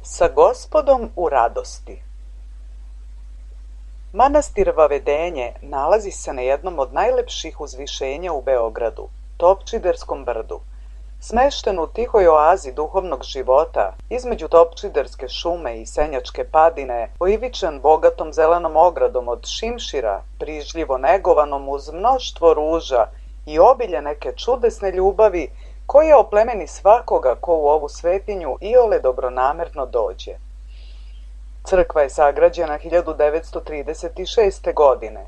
Sa Gospodom u radosti. Manastir Vavedenje nalazi se na jednom od najlepših uzvišenja u Beogradu, Topčiderskom brdu. Smešten u tihoj oazi duhovnog života, između Topčiderske šume i Senjačke padine, oivičan bogatom zelenom ogradom od šimšira, brižljivo negovanom uz mnoštvo ruža i obilje neke čudesne ljubavi, koja oplemeni svakoga ko u ovu svetinju iole dobronamerno dođe. Crkva je sagrađena 1936. godine.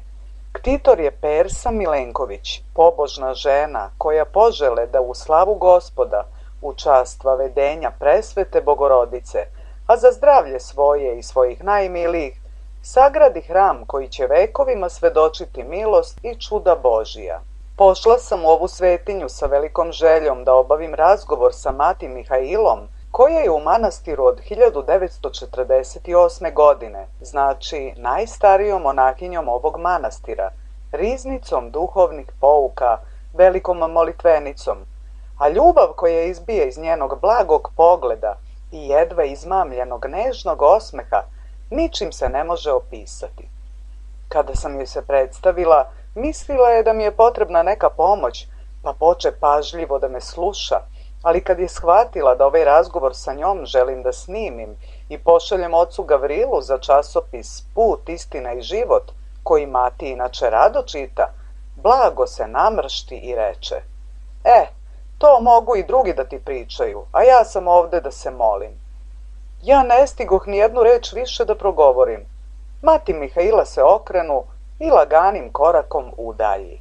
Ktitor je Persa Milenković, pobožna žena koja požele da u slavu Gospoda, u čast Vavedenja presvete Bogorodice, a za zdravlje svoje i svojih najmilijih, sagradi hram koji će vekovima svedočiti milost i čuda Božija. Pošla sam u ovu svetinju sa velikom željom da obavim razgovor sa mati Mihailom, koja je u manastiru od 1948. godine, znači najstarijom monahinjom ovog manastira, riznicom duhovnih pouka, velikom molitvenicom, a ljubav koja izbije iz njenog blagog pogleda i jedva izmamljenog nežnog osmeha ničim se ne može opisati. Kada sam joj se predstavila, mislila je da mi je potrebna neka pomoć, pa poče pažljivo da me sluša, ali kad je shvatila da ovaj razgovor sa njom želim da snimim i pošaljem ocu Gavrilu za časopis Put, istina i život, koji mati inače rado čita, blago se namršti i reče: to mogu i drugi da ti pričaju, a ja sam ovde da se molim. Ja ne stigoh ni jednu reč više da progovorim. Mati Mihaila se okrenu i laganim korakom udalji.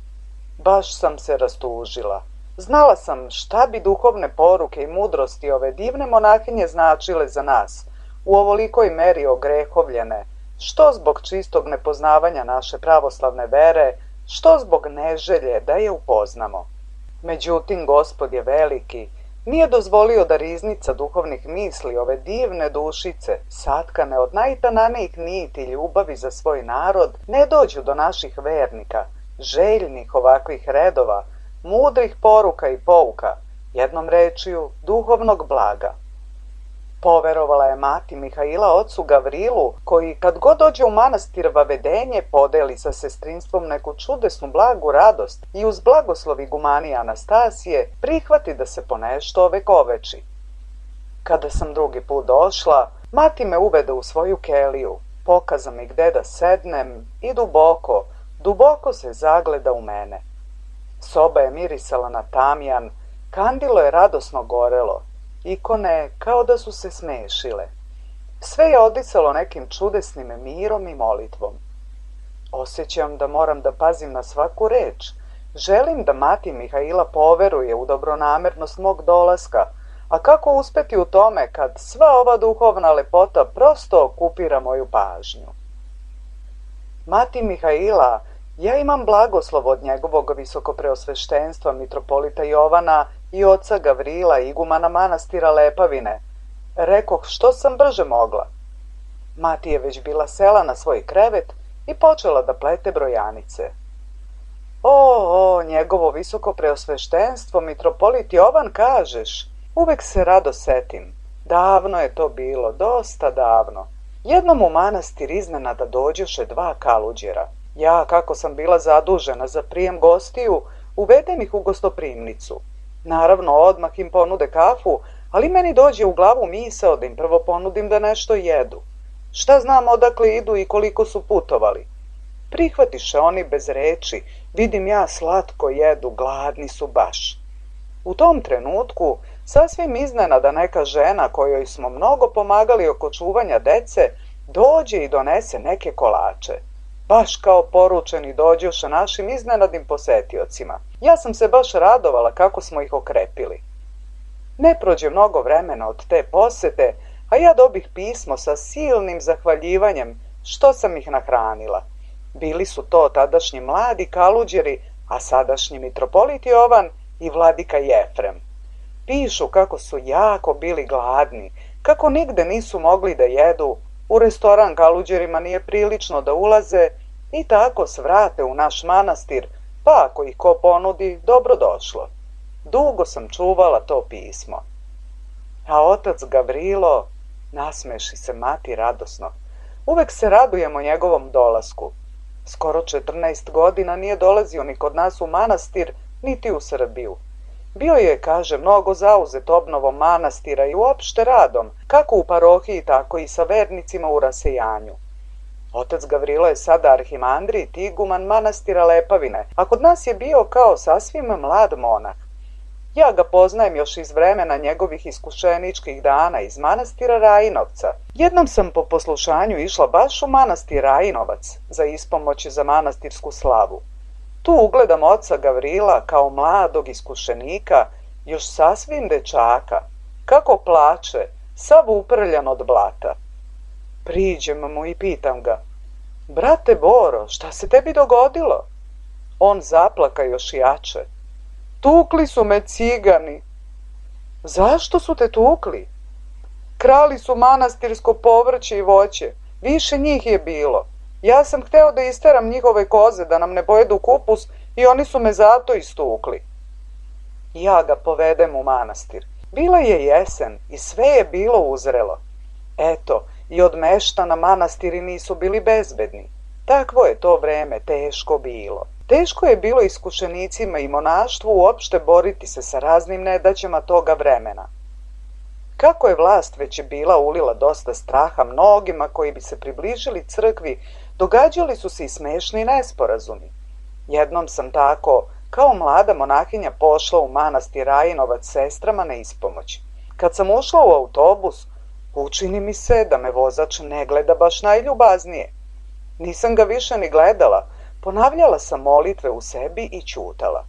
Baš sam se rastužila. Znala sam šta bi duhovne poruke i mudrosti ove divne monahinje značile za nas, u ovolikoj meri ogrehovljene, što zbog čistog nepoznavanja naše pravoslavne vere, što zbog neželje da je upoznamo. Međutim, Gospod je veliki, nije dozvolio da riznica duhovnih misli ove divne dušice, satkane od najtananijih niti ljubavi za svoj narod, ne dođu do naših vernika, željnih ovakvih redova, mudrih poruka i pouka, jednom rečju duhovnog blaga. Poverovala je mati Mihaila ocu Gavrilu, koji kad god dođe u manastir Vavedenje podeli sa sestrinstvom neku čudesnu blagu radost i uz blagoslov igumanije Anastasije prihvati da se ponešto ovekoveči. Kada sam drugi put došla, mati me uvede u svoju keliju, pokaza mi gde da sednem i duboko, duboko se zagleda u mene. Soba je mirisala na tamjan, kandilo je radosno gorelo, ikone kao da su se smešile. Sve je odisalo nekim čudesnim mirom i molitvom. Osjećam da moram da pazim na svaku reč. Želim da mati Mihaila poveruje u dobronamernost mog dolaska, a kako uspeti u tome kad sva ova duhovna lepota prosto okupira moju pažnju. Mati Mihaila, ja imam blagoslov od njegovog visokopreosveštenstva mitropolita Jovana i oca Gavrila, igumana manastira Lepavine. Rekoh što sam brže mogla. Mati je već bila sela na svoj krevet i počela da plete brojanice. Njegovo visokopreosveštenstvo mitropolit Jovan, kažeš? Uvek se rado setim. Davno je to bilo, dosta davno. Jednom u manastir iznenada dođoše dva kaluđera. Ja, kako sam bila zadužena za prijem gostiju, uvedem ih u gostoprimnicu. Naravno, odmah im ponude kafu, ali meni dođe u glavu misao da im prvo ponudim da nešto jedu. Šta znam odakle idu i koliko su putovali. Prihvatiše oni bez reči, vidim ja slatko jedu, gladni su baš. U tom trenutku, sasvim iznenada neka žena kojoj smo mnogo pomagali oko čuvanja dece, dođe i donese neke kolače. Baš kao poručeni dođoše našim iznenadnim posetiocima. Ja sam se baš radovala kako smo ih okrepili. Ne prođe mnogo vremena od te posete, a ja dobih pismo sa silnim zahvaljivanjem što sam ih nahranila. Bili su to tadašnji mladi kaluđeri, a sadašnji mitropolit Jovan i vladika Jefrem. Pišu kako su jako bili gladni, kako nigde nisu mogli da jedu, u restoran kaluđerima nije prilično da ulaze i tako svrate u naš manastir, pa ako ih ko ponudi, dobro došlo. Dugo sam čuvala to pismo. A otac Gavrilo, Nasmeši se mati radosno. Uvek se radujemo njegovom dolasku. Skoro 14 godina nije dolazio ni kod nas u manastir, niti u Srbiju. Bio je, kaže, mnogo zauzet obnovom manastira i uopšte radom, kako u parohiji, tako i sa vernicima u rasejanju. Otac Gavrilo je sada arhimandrit i iguman manastira Lepavine, a kod nas je bio kao sasvim mlad monah. Ja ga poznajem još iz vremena njegovih iskušeničkih dana iz manastira Rajinovca. Jednom sam po poslušanju išla baš u manastir Rajinovac za ispomoć za manastirsku slavu. Tu ugledam oca Gavrila kao mladog iskušenika, još sasvim dečaka, kako plače, sav uprljan od blata. Priđem mu i pitam ga: brate Boro, šta se tebi dogodilo? On zaplaka još jače: tukli su me cigani. Zašto su te tukli? Krali su manastirsko povrće i voće, više njih je bilo. Ja sam hteo da isteram njihove koze da nam ne pojedu kupus i oni su me zato istukli. Ja ga povedem u manastir. Bila je jesen i sve je bilo uzrelo. Eto, i od meštana manastiri nisu bili bezbedni. Takvo je to vreme teško bilo. Teško je bilo iskušenicima i monaštvu uopšte boriti se sa raznim nedaćama toga vremena. Kako je vlast već bila ulila dosta straha mnogima koji bi se približili crkvi, događali su se i smešni nesporazumi. Jednom sam tako, kao mlada monahinja, pošla u manastir Rajinovac sestrama na ispomoć. Kad sam ušla u autobus, učini mi se da me vozač ne gleda baš najljubaznije. Nisam ga više ni gledala, ponavljala sam molitve u sebi i ćutala.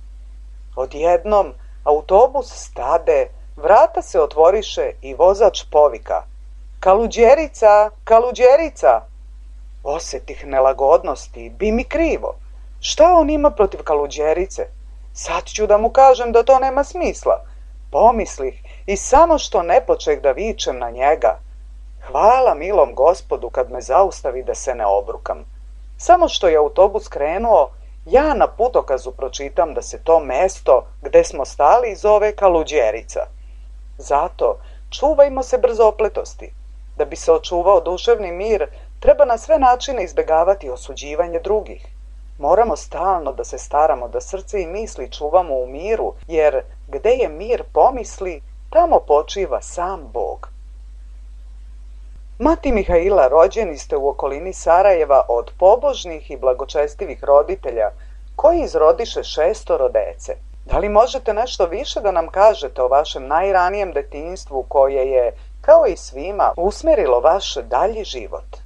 Odjednom autobus stade, vrata se otvoriše i vozač povika: Kaluđerica, Kaluđerica! Osetih nelagodnosti, bi mi krivo. Šta on ima protiv Kaluđerice? Sad ću da mu kažem da to nema smisla. Pomislih i samo što ne počeh da vičem na njega. Hvala milom Gospodu kad me zaustavi da se ne obrukam. Samo što je autobus krenuo, ja na putokazu pročitam da se to mesto gde smo stali zove Kaluđerica. Zato čuvajmo se brzopletosti. Da bi se očuvao duševni mir, treba na sve načine izbegavati osuđivanje drugih. Moramo stalno da se staramo da srce i misli čuvamo u miru, jer gde je mir pomisli, tamo počiva sam Bog. Mati Mihaila rođeni ste u okolini Sarajeva od pobožnih i blagočestivih roditelja, koji izrodiše 6 dece. Da li možete nešto više da nam kažete o vašem najranijem detinjstvu koje je, kao i svima, usmerilo vaš dalji život?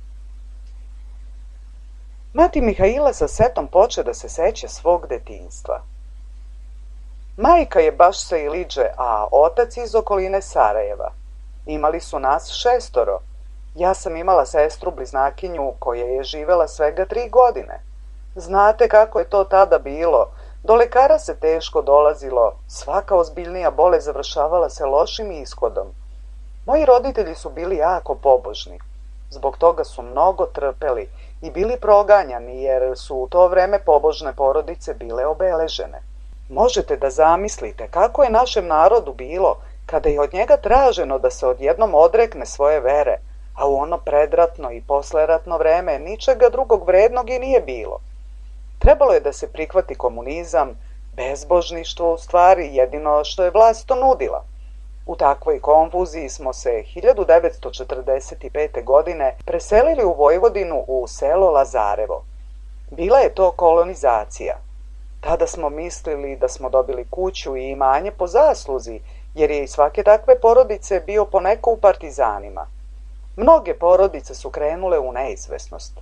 Mati Mihaila sa setom poče da se seća svog detinjstva. Majka je baš sa Iliđe, a otac iz okoline Sarajeva. Imali su nas 6. Ja sam imala sestru bliznakinju koja je živela svega 3 godine. Znate kako je to tada bilo. Do lekara se teško dolazilo, svaka ozbiljnija bolest završavala se lošim ishodom. Moji roditelji su bili jako pobožni. Zbog toga su mnogo trpeli i bili proganjani jer su u to vreme pobožne porodice bile obeležene. Možete da zamislite kako je našem narodu bilo kada je od njega traženo da se odjednom odrekne svoje vere, a u ono predratno i posleratno vreme ničega drugog vrednog i nije bilo. Trebalo je da se prihvati komunizam, bezbožništvo u stvari jedino što je vlast to nudila. U takvoj konfuziji smo se 1945. godine preselili u Vojvodinu u selo Lazarevo. Bila je to kolonizacija. Tada smo mislili da smo dobili kuću i imanje po zasluzi, jer je iz svake takve porodice bio poneko u partizanima. Mnoge porodice su krenule u neizvesnost.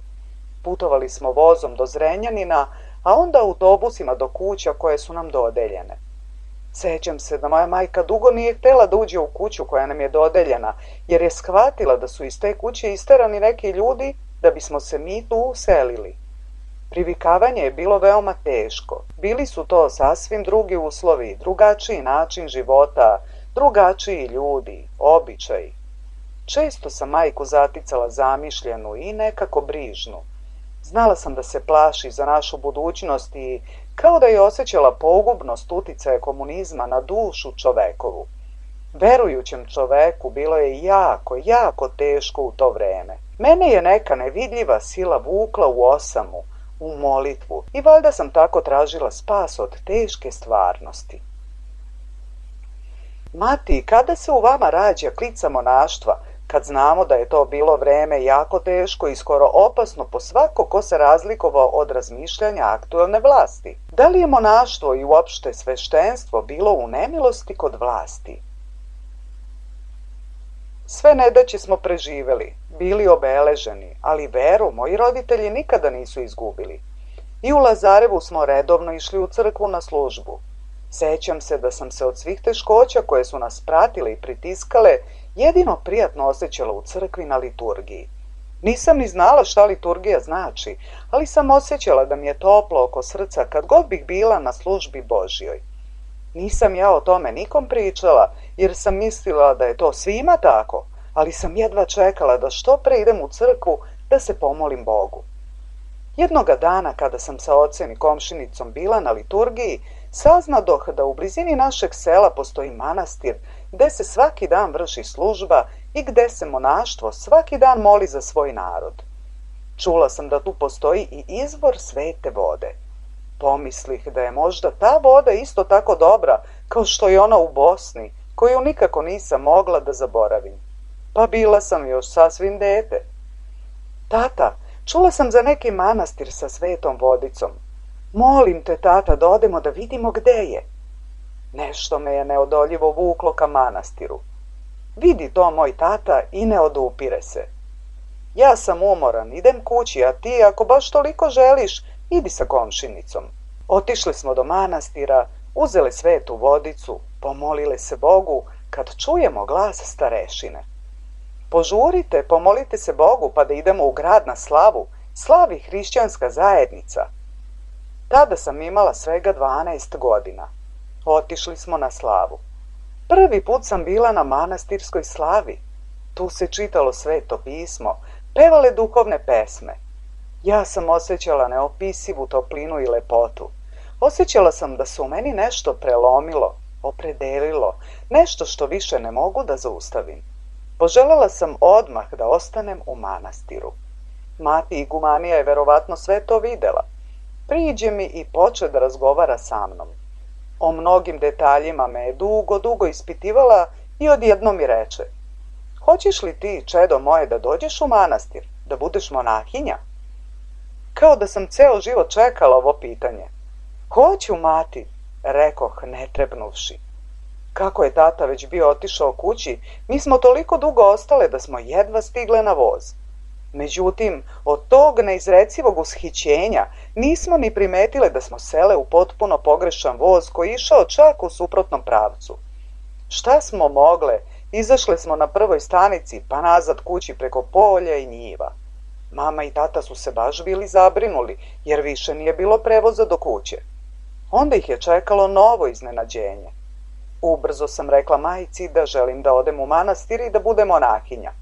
Putovali smo vozom do Zrenjanina, a onda autobusima do kuća koje su nam dodeljene. Sećam se da moja majka dugo nije htela da uđe u kuću koja nam je dodeljena, jer je shvatila da su iz te kuće isterani neki ljudi da bismo se mi tu uselili. Privikavanje je bilo veoma teško. Bili su to sasvim drugi uslovi, drugačiji način života, drugačiji ljudi, običaji. Često sam majku zaticala zamišljenu i nekako brižnu. Znala sam da se plaši za našu budućnost i kao da je osjećala pogubnost uticaja komunizma na dušu čovekovu. Verujućem čoveku bilo je jako, jako teško u to vreme. Mene je neka nevidljiva sila vukla u osamu, u molitvu i valjda sam tako tražila spas od teške stvarnosti. Mati, kada se u vama rađa klica monaštva, kad znamo da je to bilo vreme jako teško i skoro opasno po svako ko se razlikovao od razmišljanja aktuelne vlasti? Da li je monaštvo i uopšte sveštenstvo bilo u nemilosti kod vlasti? Sve nedaće smo preživeli, bili obeleženi, ali veru moji roditelji nikada nisu izgubili. I u Lazarevu smo redovno išli u crkvu na službu. Sećam se da sam se od svih teškoća koje su nas pratile i pritiskale jedino prijatno osjećala u crkvi na liturgiji. Nisam ni znala šta liturgija znači, ali sam osjećala da mi je toplo oko srca kad god bih bila na službi Božjoj. Nisam ja o tome nikom pričala, jer sam mislila da je to svima tako, ali sam jedva čekala da što pre idem u crkvu da se pomolim Bogu. Jednoga dana kada sam sa ocem i komšinicom bila na liturgiji, saznadoh da u blizini našeg sela postoji manastir gde se svaki dan vrši služba i gde se monaštvo svaki dan moli za svoj narod. Čula sam da tu postoji i izvor svete vode. Pomislih da je možda ta voda isto tako dobra kao što je ona u Bosni, koju nikako nisam mogla da zaboravim. Pa bila sam još sasvim dete. Tata, čula sam za neki manastir sa svetom vodicom. Molim te, tata, da odemo da vidimo gde je. Nešto me je neodoljivo vuklo ka manastiru. Vidi to moj tata i ne odupire se. Ja sam umoran, idem kući, a ti, ako baš toliko želiš, idi sa komšinicom. Otišli smo do manastira, uzeli svetu vodicu, pomolile se Bogu kad čujemo glas starešine. Požurite, pomolite se Bogu pa da idemo u grad na slavu, slavi hrišćanska zajednica. Tada sam imala svega 12 godina. Otišli smo na slavu. Prvi put sam bila na manastirskoj slavi. Tu se čitalo sveto pismo, pevale duhovne pesme. Ja sam osjećala neopisivu toplinu i lepotu. Osjećala sam da se u meni nešto prelomilo, opredelilo, nešto što više ne mogu da zaustavim. Poželela sam odmah da ostanem u manastiru. Mati igumanija je verovatno sve to videla. Priđe mi i poče da razgovara sa mnom. O mnogim detaljima me je dugo ispitivala i odjednom mi reče: hoćeš li ti, čedo moje, da dođeš u manastir, da budeš monahinja? Kao da sam ceo život čekala ovo pitanje. Hoću, mati, rekoh ne trepnuvši. Kako je tata već bio otišao kući, mi smo toliko dugo ostale da smo jedva stigle na voz. Međutim, od tog neizrecivog ushićenja nismo ni primetile da smo sele u potpuno pogrešan voz koji je išao čak u suprotnom pravcu. Šta smo mogle? Izašle smo na prvoj stanici, pa nazad kući preko polja i njiva. Mama i tata su se baš bili zabrinuli, jer više nije bilo prevoza do kuće. Onda ih je čekalo novo iznenađenje. Ubrzo sam rekla majci da želim da odem u manastir i da budem monahinja.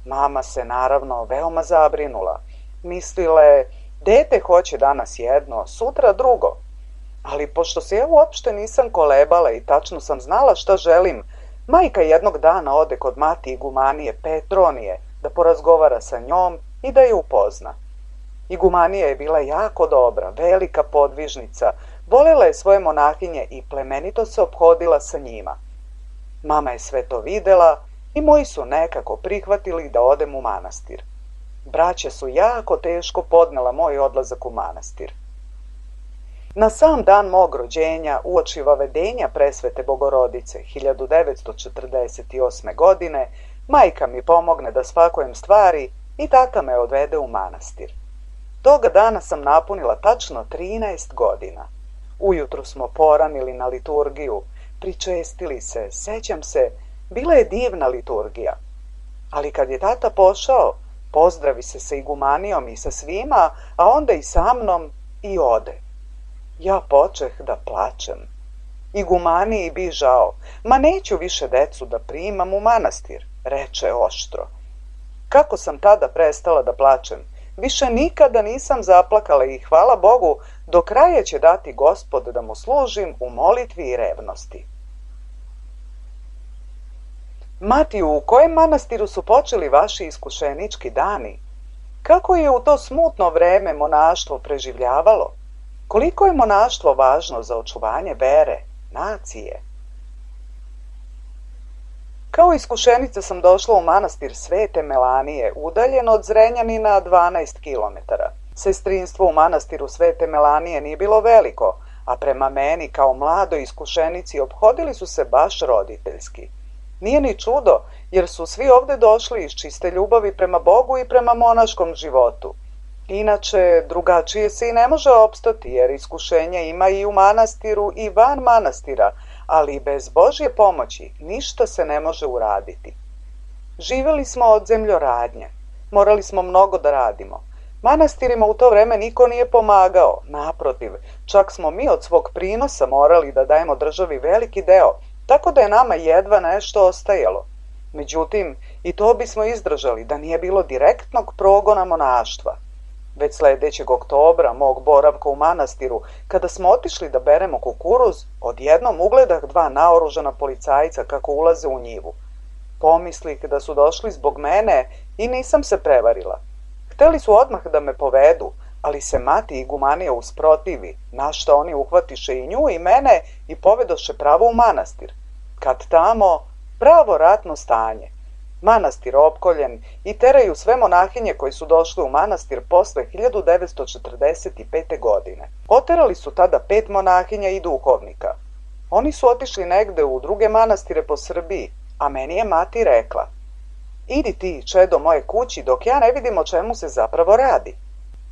Mama se naravno veoma zabrinula. Mislila je, dete hoće danas jedno, sutra drugo. Ali pošto se ja uopšte nisam kolebala i tačno sam znala šta želim, majka jednog dana ode kod mati igumanije Petronije da porazgovara sa njom i da je upozna. Igumanija je bila jako dobra, velika podvižnica, volela je svoje monahinje i plemenito se ophodila sa njima. Mama je sve to videla i moji su nekako prihvatili da odem u manastir. Braća su jako teško podnela moj odlazak u manastir. Na sam dan mog rođenja, uoči vavedenja presvete Bogorodice 1948. godine, majka mi pomogne da spakujem stvari i tata me odvede u manastir. Toga dana sam napunila tačno 13 godina. Ujutru smo poranili na liturgiju, pričestili se, sećam se, bila je divna liturgija. Ali kad je tata pošao, pozdravi se sa igumanijom i sa svima, a onda i sa mnom i ode. Ja počeh da plačem. Igumaniji bi žao, ma neću više decu da primam u manastir, reče oštro. Kako sam tada prestala da plačem, više nikada nisam zaplakala i hvala Bogu, do kraja će dati Gospod da mu služim u molitvi i revnosti. Mati, u kojem manastiru su počeli vaši iskušenički dani? Kako je u to smutno vreme monaštvo preživljavalo? Koliko je monaštvo važno za očuvanje vere, nacije? Kao iskušenica sam došla u manastir Svete Melanije, udaljen od Zrenjanina 12 kilometara. Sestrinstvo u manastiru Svete Melanije nije bilo veliko, a prema meni kao mladoj iskušenici ophodili su se baš roditeljski. Nije ni čudo, jer su svi ovde došli iz čiste ljubavi prema Bogu i prema monaškom životu. Inače, drugačije se i ne može opstati, jer iskušenja ima i u manastiru i van manastira, ali bez Božje pomoći ništa se ne može uraditi. Živeli smo od zemljoradnje, morali smo mnogo da radimo. Manastirima u to vreme niko nije pomagao, naprotiv, čak smo mi od svog prinosa morali da dajemo državi veliki deo, tako da je nama jedva nešto ostajalo. Međutim, i to bismo izdržali da nije bilo direktnog progona monaštva. Već sledećeg oktobra, mog boravka u manastiru, kada smo otišli da beremo kukuruz, odjednom ugledah dva naoružana policajca kako ulaze u njivu. Pomislih da su došli zbog mene i nisam se prevarila. Hteli su odmah da me povedu, ali se mati igumanija usprotivi, na šta oni uhvatiše i nju i mene i povedoše pravo u manastir. Kad tamo, pravo ratno stanje. Manastir opkoljen i teraju sve monahinje koji su došli u manastir posle 1945. godine. Oterali su tada 5 monahinja i duhovnika. Oni su otišli negde u druge manastire po Srbiji, a meni je mati rekla: idi ti, čedo, moje kući, dok ja ne vidim o čemu se zapravo radi.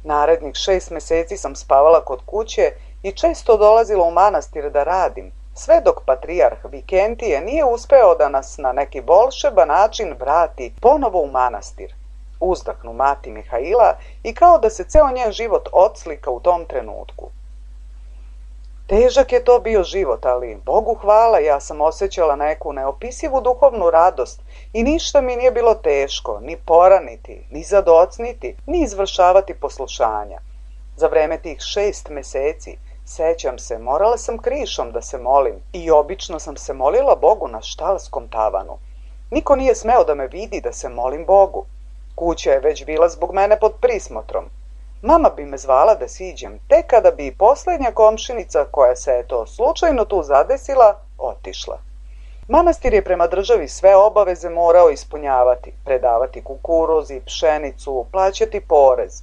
Narednih 6 meseci sam spavala kod kuće i često dolazila u manastir da radim, sve dok patrijarh Vikentije nije uspeo da nas na neki volšeban način vrati ponovo u manastir. Uzdahnu mati Mihaila i kao da se ceo njen život odslika u tom trenutku. Težak je to bio život, ali Bogu hvala, ja sam osjećala neku neopisivu duhovnu radost i ništa mi nije bilo teško, ni poraniti, ni zadocniti, ni izvršavati poslušanja. Za vreme tih 6 meseci, sećam se, morala sam krišom da se molim i obično sam se molila Bogu na štalskom tavanu. Niko nije smeo da me vidi da se molim Bogu. Kuća je već bila zbog mene pod prismotrom. Mama bi me zvala da siđem, tek kada bi poslednja komšinica koja se eto slučajno tu zadesila, otišla. Manastir je prema državi sve obaveze morao ispunjavati, predavati kukuruz i pšenicu, plaćati porez.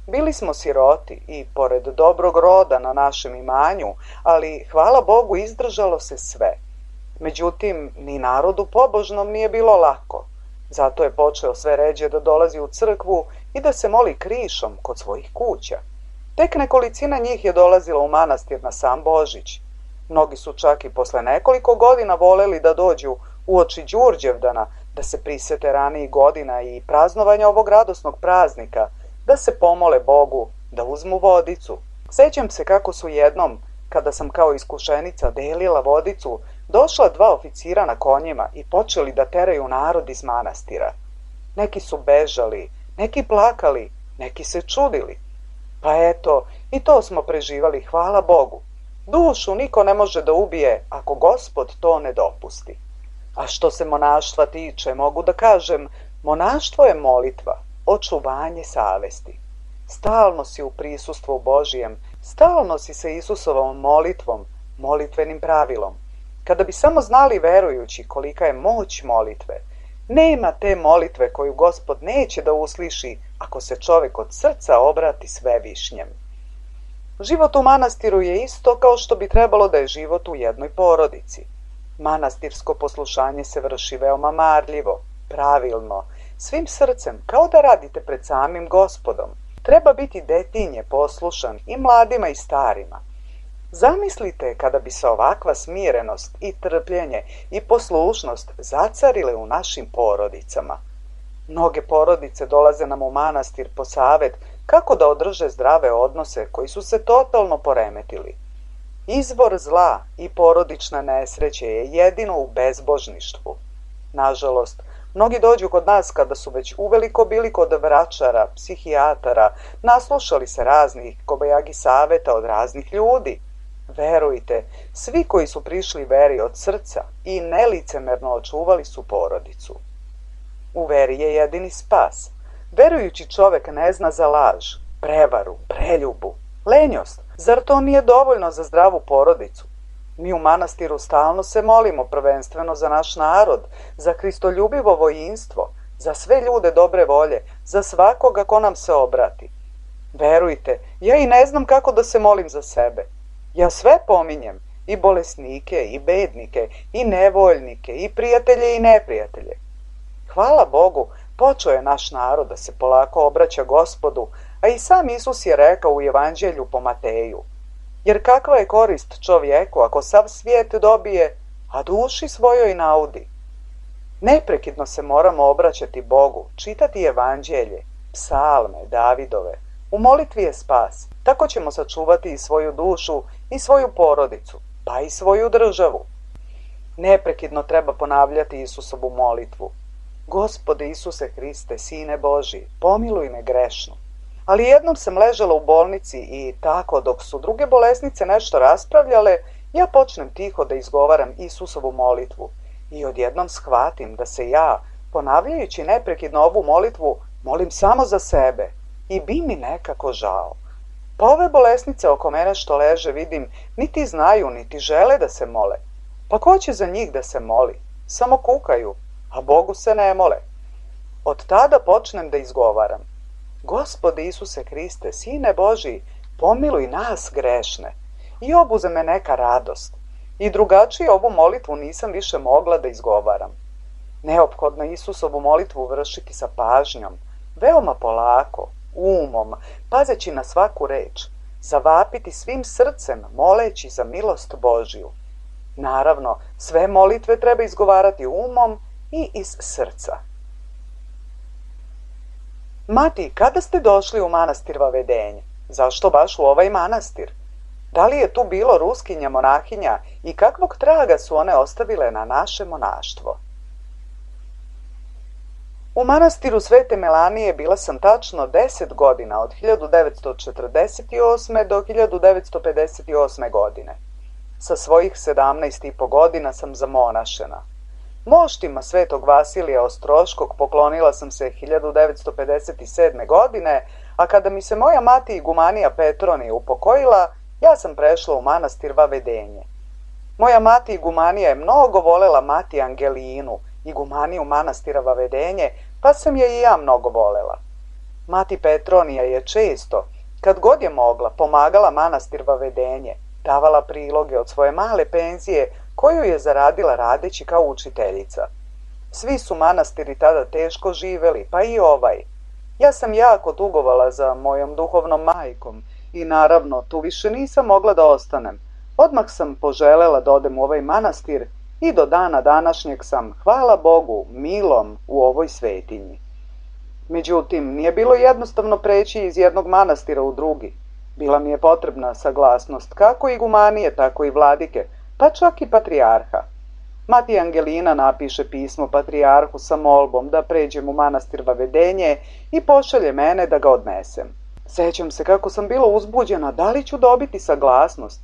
Bili smo siroti i, pored dobrog roda na našem imanju, ali, hvala Bogu, izdržalo se sve. Međutim, ni narodu pobožnom nije bilo lako. Zato je počeo sve ređe da dolazi u crkvu i da se moli krišom kod svojih kuća. Tek nekolicina njih je dolazila u manastir na sam Božić. Mnogi su čak i posle nekoliko godina voleli da dođu uoči Đurđevdana, da se prisete ranijih godina i praznovanja ovog radosnog praznika, da se pomole Bogu, da uzmu vodicu. Sećam se kako su jednom, kada sam kao iskušenica delila vodicu, došla 2 oficira na konjima i počeli da teraju narod iz manastira. Neki su bežali, neki plakali, neki se čudili. Pa eto, i to smo preživali, hvala Bogu. Dušu niko ne može da ubije ako Gospod to ne dopusti. A što se monaštva tiče, mogu da kažem, monaštvo je molitva, očuvanje savesti. Stalno si u prisustvu Božijem, stalno si sa Isusovom molitvom, molitvenim pravilom. Kada bi samo znali verujući kolika je moć molitve, nema te molitve koju Gospod neće da usliši ako se čovek od srca obrati Svevišnjem. Život u manastiru je isto kao što bi trebalo da je život u jednoj porodici. Manastirsko poslušanje se vrši veoma marljivo, pravilno, svim srcem, kao da radite pred samim Gospodom. Treba biti detinje poslušan i mladima i starima. Zamislite kada bi se ovakva smirenost i trpljenje i poslušnost zacarile u našim porodicama. Mnoge porodice dolaze nam u manastir po savet kako da održe zdrave odnose koji su se totalno poremetili. Izvor zla i porodična nesreće je jedino u bezbožništvu. Nažalost, mnogi dođu kod nas kada su već uveliko bili kod vračara, psihijatara, naslušali se raznih kobajagi saveta od raznih ljudi. Verujte, svi koji su prišli veri od srca i nelicemerno očuvali su porodicu. U veri je jedini spas. Verujući čovek ne zna za laž, prevaru, preljubu, lenjost. Zar to nije dovoljno za zdravu porodicu? Mi u manastiru stalno se molimo prvenstveno za naš narod, za kristoljubivo vojinstvo, za sve ljude dobre volje, za svakoga ko nam se obrati. Verujte, ja i ne znam kako da se molim za sebe. Ja sve pominjem, i bolesnike, i bednike, i nevoljnike, i prijatelje i neprijatelje. Hvala Bogu, počeo je naš narod da se polako obraća Gospodu, a i sam Isus je rekao u Evanđelju po Mateju. Jer kakva je korist čovjeku ako sav svijet dobije, a duši svojoj naudi? Neprekidno se moramo obraćati Bogu, čitati Evanđelje, psalme, Davidove. U molitvi je spas. Tako ćemo sačuvati i svoju dušu i svoju porodicu, pa i svoju državu. Neprekidno treba ponavljati Isusovu molitvu. Gospode Isuse Hriste, Sine Božji, pomiluj me grešnu. Ali jednom sam ležala u bolnici i tako dok su druge bolesnice nešto raspravljale, ja počnem tiho da izgovaram Isusovu molitvu i odjednom shvatim da se ja, ponavljajući neprekidno ovu molitvu, molim samo za sebe i bi mi nekako žao. Pa ove bolesnice oko mene što leže vidim, niti znaju, niti žele da se mole. Pa ko će za njih da se moli? Samo kukaju, a Bogu se ne mole. Od tada počnem da izgovaram. Gospode Isuse Hriste, Sine Božji, pomiluj nas grešne. I obuze me neka radost. I drugačije ovu molitvu nisam više mogla da izgovaram. Neophodno Isusovu molitvu vršiti sa pažnjom, veoma polako, umom, pazeći na svaku reč, zavapiti svim srcem, moleći za milost Božju. Naravno, sve molitve treba izgovarati umom i iz srca. Mati, kada ste došli u manastir Vavedenje? Zašto baš u ovaj manastir? Da li je tu bilo ruskinja monahinja i kakvog traga su one ostavile na naše monaštvo? U manastiru Svete Melanije bila sam tačno 10 godina, od 1948. do 1958. godine. Sa svojih 17,5 godina sam zamonašena. Moštima Svetog Vasilija Ostroškog poklonila sam se 1957. godine, a kada mi se moja mati igumanija Petronija upokojila, ja sam prešla u manastir Vavedenje. Moja mati igumanija je mnogo volela mati Angelinu, igumaniju manastira Vavedenje, pa sam je i ja mnogo volela. Mati Petronija je često, kad god je mogla, pomagala manastir Vavedenje, davala priloge od svoje male penzije koju je zaradila radeći kao učiteljica. Svi su manastiri tada teško živeli, pa i ovaj. Ja sam jako tugovala za mojom duhovnom majkom i naravno tu više nisam mogla da ostanem. Odmah sam poželela da odem u ovaj manastir i do dana današnjeg sam, hvala Bogu, milom u ovoj svetinji. Međutim, nije bilo jednostavno preći iz jednog manastira u drugi. Bila mi je potrebna saglasnost kako igumanije, tako i vladike, pa čak i patrijarha. Mati Angelina napiše pismo patrijarhu sa molbom da pređem u manastir Vavedenje i pošalje mene da ga odnesem. Sećam se kako sam bila uzbuđena da li ću dobiti saglasnost.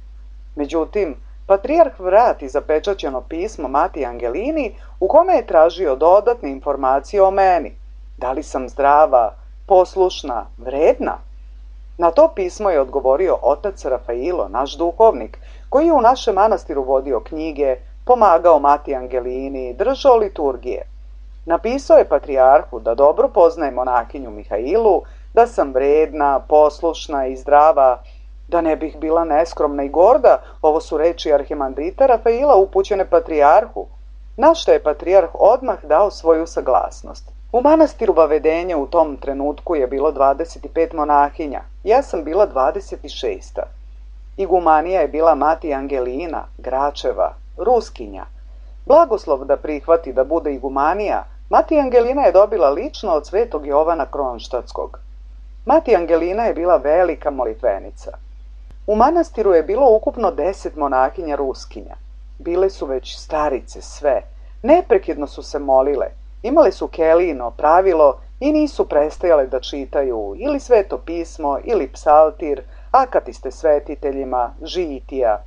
Međutim, patrijarh vrati zapečaćeno pismo Mati Angelini u kome je tražio dodatne informacije o meni. Da li sam zdrava, poslušna, vredna? Na to pismo je odgovorio otac Rafailo, naš duhovnik, koji je u našem manastiru vodio knjige, pomagao Mati Angelini, držao liturgije. Napisao je patrijarhu da dobro poznaje monahinju Mihailu, da sam vredna, poslušna i zdrava, da ne bih bila neskromna i gorda, ovo su reči arhimandrita Rafaila upućene patrijarhu, na što je patrijarh odmah dao svoju saglasnost. U manastiru Vavedenje u tom trenutku je bilo 25 monahinja, ja sam bila 26. Igumanija je bila Mati Angelina, Gračeva, Ruskinja. Blagoslov da prihvati da bude igumanija, Mati Angelina je dobila lično od svetog Jovana Kronštatskog. Mati Angelina je bila velika molitvenica. U manastiru je bilo ukupno 10 monahinja Ruskinja. Bile su već starice sve, neprekidno su se molile, imale su Kelijino pravilo i nisu prestajale da čitaju ili sveto pismo ili psaltir, akatiste svetiteljima, žitija.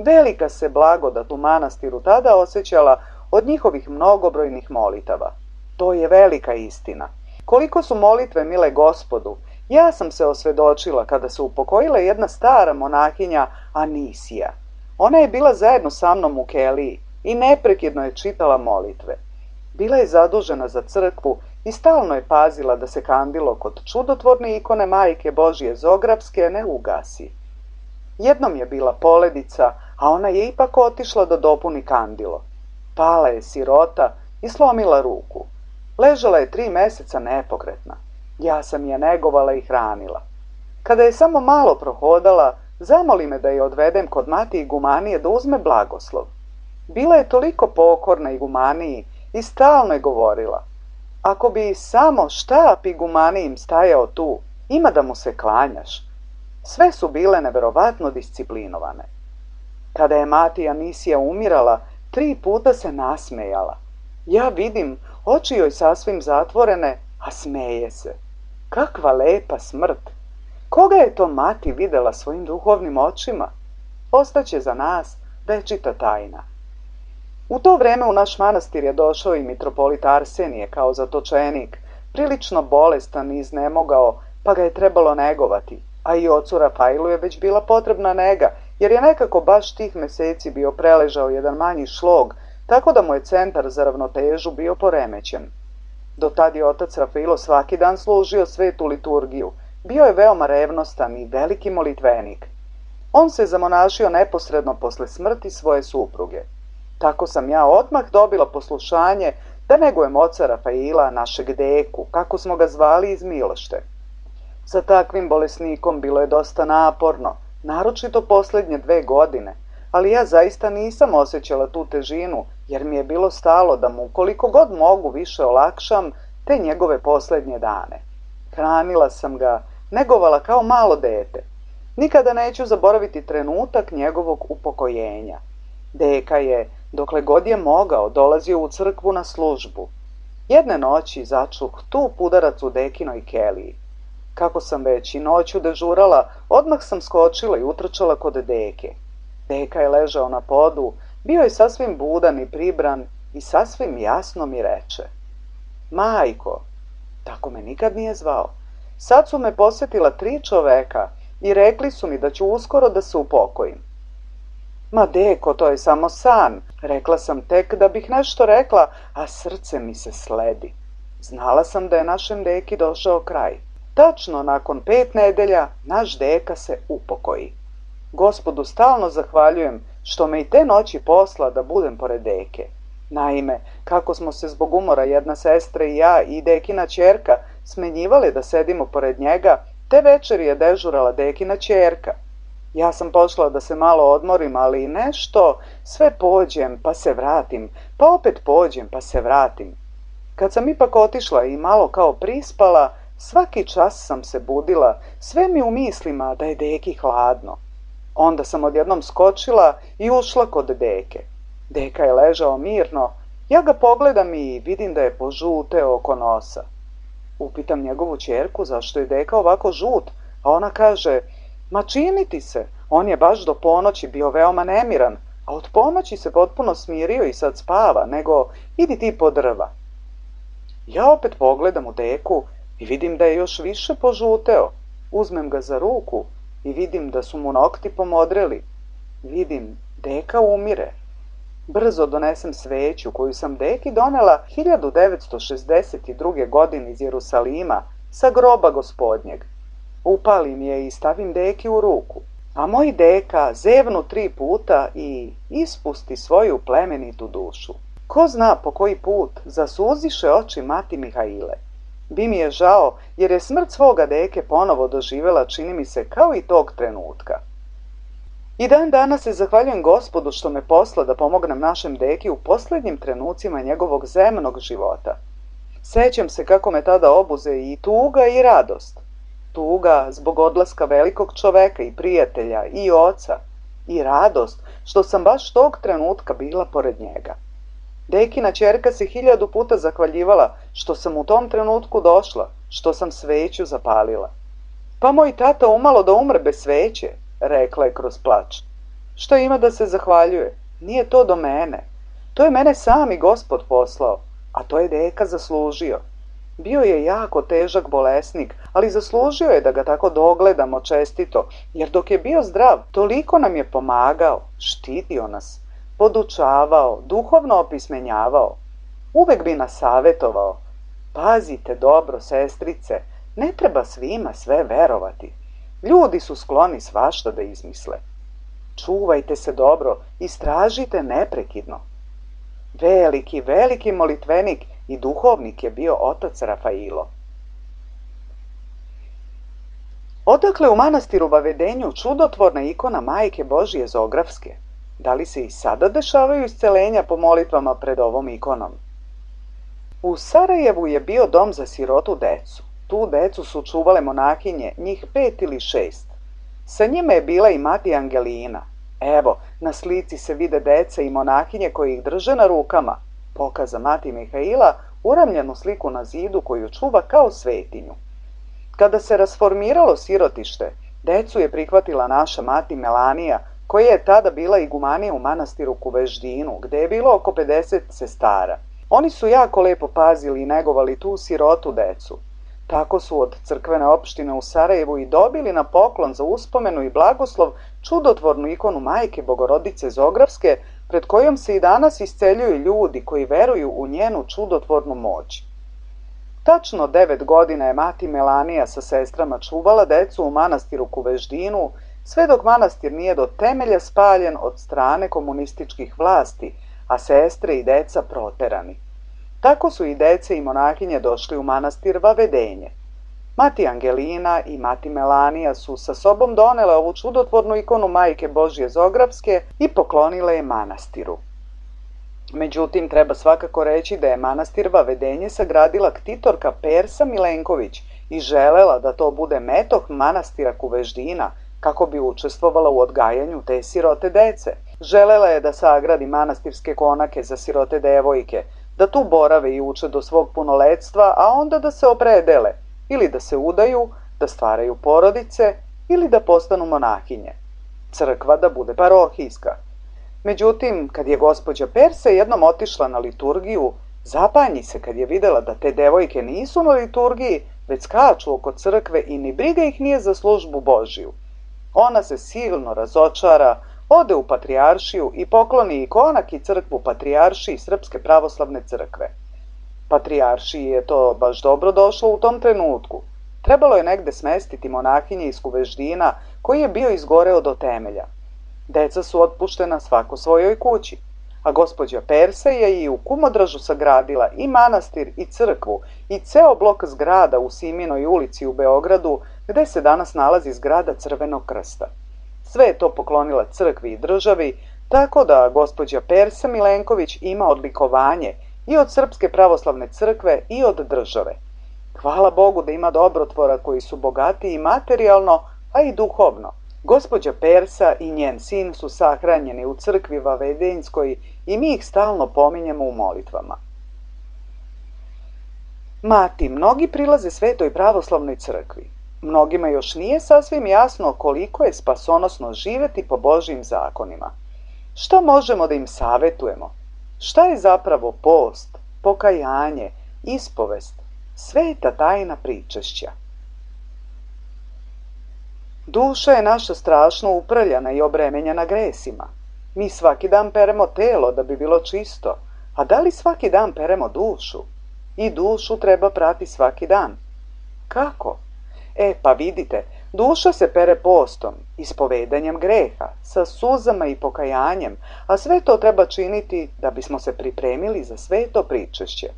Velika se blagodat u manastiru tada osjećala od njihovih mnogobrojnih molitava. To je velika istina. Koliko su molitve mile Gospodu, ja sam se osvedočila kada se upokojila jedna stara monahinja Anisija. Ona je bila zajedno sa mnom u keliji i neprekidno je čitala molitve. Bila je zadužena za crkvu i stalno je pazila da se kandilo kod čudotvorne ikone Majke Božje Zografske ne ugasi. Jednom je bila poledica, a ona je ipak otišla da dopuni kandilo. Pala je sirota i slomila ruku. Ležala je 3 meseca nepokretna. Ja sam je negovala i hranila. Kada je samo malo prohodala, zamoli me da je odvedem kod mati igumanije da uzme blagoslov. Bila je toliko pokorna igumaniji i stalno je govorila: ako bi samo štap igumanijim stajao tu, ima da mu se klanjaš. Sve su bile neverovatno disciplinovane. Kada je mati Anisija umirala, 3 puta se nasmejala. Ja vidim, oči joj sasvim zatvorene, a smeje se. Kakva lepa smrt! Koga je to mati videla svojim duhovnim očima? Ostaće za nas večita tajna. U to vreme u naš manastir je došao i mitropolit Arsenije kao zatočenik, prilično bolestan i iznemogao, pa ga je trebalo negovati, a i ocu Rafailu je već bila potrebna nega, jer je nekako baš tih meseci bio preležao jedan manji šlog, tako da mu je centar za ravnotežu bio poremećen. Do tad je otac Rafailo svaki dan služio svetu liturgiju, bio je veoma revnostan i veliki molitvenik. On se zamonašio neposredno posle smrti svoje supruge. Tako sam ja odmah dobila poslušanje da negujem oca Rafaila, našeg deku, kako smo ga zvali iz Milošte. Sa takvim bolesnikom bilo je dosta naporno, naročito posljednje 2 godine, ali ja zaista nisam osjećala tu težinu, jer mi je bilo stalo da mu koliko god mogu više olakšam te njegove posljednje dane. Hranila sam ga, negovala kao malo dete. Nikada neću zaboraviti trenutak njegovog upokojenja. Deka je, dokle god je mogao, dolazio u crkvu na službu. Jedne noći začuh tup udarac u dekinoj keliji. Kako sam već i noću dežurala, odmah sam skočila i utrčala kod deke. Deka je ležao na podu, bio je sasvim budan i pribran i sasvim jasno mi reče: majko, tako me nikad nije zvao. Sad su me posjetila 3 čoveka i rekli su mi da ću uskoro da se upokojim. Ma deko, to je samo san, rekla sam tek da bih nešto rekla, a srce mi se sledi. Znala sam da je našem deki došao kraj. Tačno nakon 5 nedelja naš deka se upokoji. Gospodu stalno zahvaljujem što me i te noći posla da budem pored deke. Naime, kako smo se zbog umora jedna sestra i ja i dekina ćerka smenjivali da sedimo pored njega, te večeri je dežurala dekina ćerka. Ja sam pošla da se malo odmorim, ali nešto, sve pođem pa se vratim, pa opet pođem pa se vratim. Kad sam ipak otišla i malo kao prispala, svaki čas sam se budila, sve mi u mislima da je deki hladno. Onda sam odjednom skočila i ušla kod deke. Deka je ležao mirno, ja ga pogledam i vidim da je požuteo oko nosa. Upitam njegovu ćerku zašto je deka ovako žut, a ona kaže: ma čini ti se, on je baš do ponoći bio veoma nemiran, a od ponoći se potpuno smirio i sad spava, nego idi ti po drva. Ja opet pogledam u deku i vidim da je još više požuteo. Uzmem ga za ruku i vidim da su mu nokti pomodreli. Vidim, deka umire. Brzo donesem sveću koju sam deki donela 1962. godine iz Jerusalima sa groba Gospodnjeg. Upalim je i stavim deki u ruku, a moj deka zevnu 3 puta i ispusti svoju plemenitu dušu. Ko zna po koji put zasuziše oči mati Mihaile. Bi mi je žao, jer je smrt svoga deke ponovo doživjela, čini mi se, kao i tog trenutka. I dan danas se zahvaljujem Gospodu što me posla da pomognem našem deki u posljednjim trenucima njegovog zemnog života. Sećam se kako me tada obuze i tuga i radost. Tuga zbog odlaska velikog čoveka i prijatelja i oca, i radost što sam baš tog trenutka bila pored njega. Dekina ćerka se 1000 puta zahvaljivala što sam u tom trenutku došla, što sam sveću zapalila. Pa moj tata umalo da umre bez sveće, rekla je kroz plač. Što ima da se zahvaljuje? Nije to do mene. To je mene sami Gospod poslao, a to je deka zaslužio. Bio je jako težak bolesnik, ali zaslužio je da ga tako dogledamo čestito, jer dok je bio zdrav, toliko nam je pomagao, štitio nas, podučavao, duhovno opismenjavao. Uvek bi nas savjetovao. Pazite dobro, sestrice, ne treba svima sve verovati. Ljudi su skloni svašta da izmisle. Čuvajte se dobro, istražite neprekidno. Veliki, veliki molitvenik i duhovnik je bio otac Rafailo. Odakle u manastiru Vavedenju čudotvorna ikona Majke Božije Zografske? Da li se i sada dešavaju iscelenja po molitvama pred ovom ikonom? U Sarajevu je bio dom za sirotu decu. Tu decu su čuvale monahinje, njih 5 ili 6. Sa njima je bila i mati Angelina. Evo, na slici se vide deca i monahinje koji ih drže na rukama. Pokaza mati Mihaila uramljenu sliku na zidu koju čuva kao svetinju. Kada se rasformiralo sirotište, decu je prihvatila naša mati Melanija, koja je tada bila igumanija u manastiru Kuveždinu, gde je bilo oko 50 sestara. Oni su jako lepo pazili i negovali tu sirotu decu. Tako su od crkvene opštine u Sarajevu i dobili na poklon za uspomenu i blagoslov čudotvornu ikonu Majke Bogorodice Zografske, pred kojom se i danas isceljuju ljudi koji veruju u njenu čudotvornu moć. Tačno 9 godina je mati Melanija sa sestrama čuvala decu u manastiru Kuveždinu, sve dok manastir nije do temelja spaljen od strane komunističkih vlasti, a sestre i deca proterani. Tako su i dece i monahinje došli u manastir Vavedenje. Mati Angelina i mati Melanija su sa sobom donele ovu čudotvornu ikonu Majke Božje Zografske i poklonile je manastiru. Međutim, treba svakako reći da je manastir Vavedenje sagradila ktitorka Persa Milenković i želela da to bude metoh manastira Kuveždina, kako bi učestvovala u odgajanju te sirote dece. Želela je da sagradi manastirske konake za sirote devojke, da tu borave i uče do svog punoletstva, a onda da se opredele, ili da se udaju, da stvaraju porodice, ili da postanu monahinje. Crkva da bude parohijska. Međutim, kad je gospođa Persa jednom otišla na liturgiju, zapanji se kad je videla da te devojke nisu na liturgiji, već skaču oko crkve i ni briga ih nije za službu Božiju. Ona se silno razočara, ode u patrijaršiju i pokloni ikonak i crkvu patrijaršiji Srpske pravoslavne crkve. Patrijaršiji je to baš dobro došlo u tom trenutku. Trebalo je negde smestiti monahinje iz Kuveždina, koji je bio izgoreo do temelja. Deca su otpuštena svako svojoj kući, a gospođa Persa je i u Kumodražu sagradila i manastir i crkvu i ceo blok zgrada u Siminoj ulici u Beogradu, gde se danas nalazi zgrada Crvenog krsta. Sve je to poklonila crkvi i državi, tako da gospođa Persa Milenković ima odlikovanje i od Srpske pravoslavne crkve i od države. Hvala Bogu da ima dobrotvora koji su bogati i materijalno, a i duhovno. Gospođa Persa i njen sin su sahranjeni u crkvi Vavedenjskoj i mi ih stalno pominjemo u molitvama. Mati, mnogi prilaze Svetoj pravoslavnoj crkvi. Mnogima još nije sasvim jasno koliko je spasonosno živeti po Božjim zakonima. Šta možemo da im savetujemo? Šta je zapravo post, pokajanje, ispovest, sveta tajna pričešća? Duša je naša strašno uprljana i obremenjena gresima. Mi svaki dan peremo telo da bi bilo čisto, a da li svaki dan peremo dušu? I dušu treba prati svaki dan. Kako? Pa vidite, duša se pere postom, ispovedanjem greha, sa suzama i pokajanjem, a sve to treba činiti da bismo se pripremili za sveto pričešće.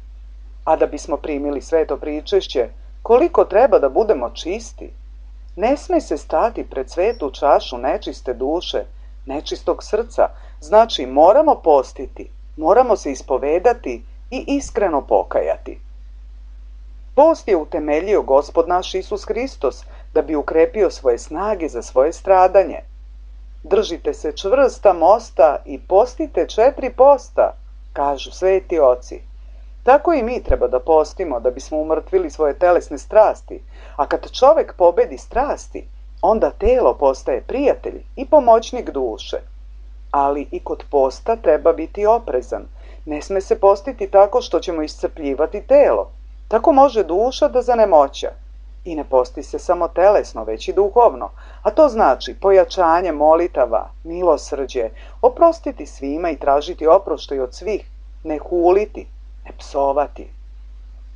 A da bismo primili sveto pričešće, koliko treba da budemo čisti? Ne sme se stati pred svetu čašu nečiste duše, nečistog srca, znači moramo postiti, moramo se ispovedati i iskreno pokajati. Post je utemeljio Gospod naš Isus Hristos da bi ukrepio svoje snage za svoje stradanje. Držite se čvrsta mosta i postite 4 posta, kažu sveti oci. Tako i mi treba da postimo da bismo umrtvili svoje telesne strasti, a kad čovek pobedi strasti, onda telo postaje prijatelj i pomoćnik duše. Ali i kod posta treba biti oprezan. Ne sme se postiti tako što ćemo iscrpljivati telo. Tako može duša da zanemoća. I ne posti se samo telesno, već i duhovno, a to znači pojačanje molitava, milosrđe, oprostiti svima i tražiti oproštaj od svih, ne huliti, ne psovati.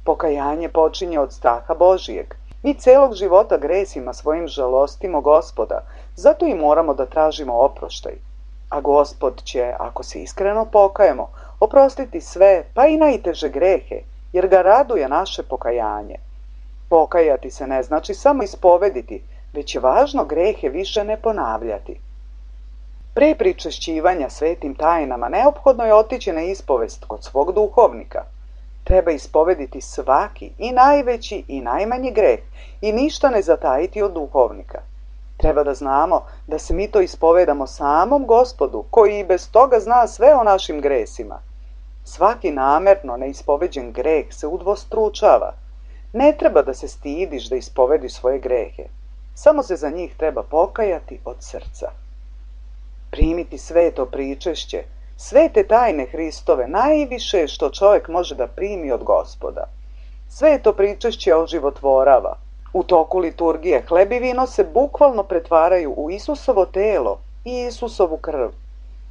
Pokajanje počinje od straha Božijeg. Mi celog života gresima svojim žalostimo Gospoda, zato i moramo da tražimo oproštaj. A Gospod će, ako se iskreno pokajemo, oprostiti sve, pa i najteže grehe, jer ga raduje naše pokajanje. Pokajati se ne znači samo ispovediti, već je važno grehe više ne ponavljati. Pre pričešćivanja svetim tajnama neophodno je otići na ispovest kod svog duhovnika. Treba ispovediti svaki, i najveći i najmanji greh, i ništa ne zatajiti od duhovnika. Treba da znamo da se mi to ispovedamo samom Gospodu, koji i bez toga zna sve o našim gresima. Svaki namerno neispoveđen greh se udvostručava. Ne treba da se stidiš da ispovediš svoje grehe. Samo se za njih treba pokajati od srca. Primiti sveto pričešće, svete tajne Hristove, najviše što čovjek može da primi od Gospoda. Sveto pričešće oživotvorava. U toku liturgije hleb i vino se bukvalno pretvaraju u Isusovo telo i Isusovu krv.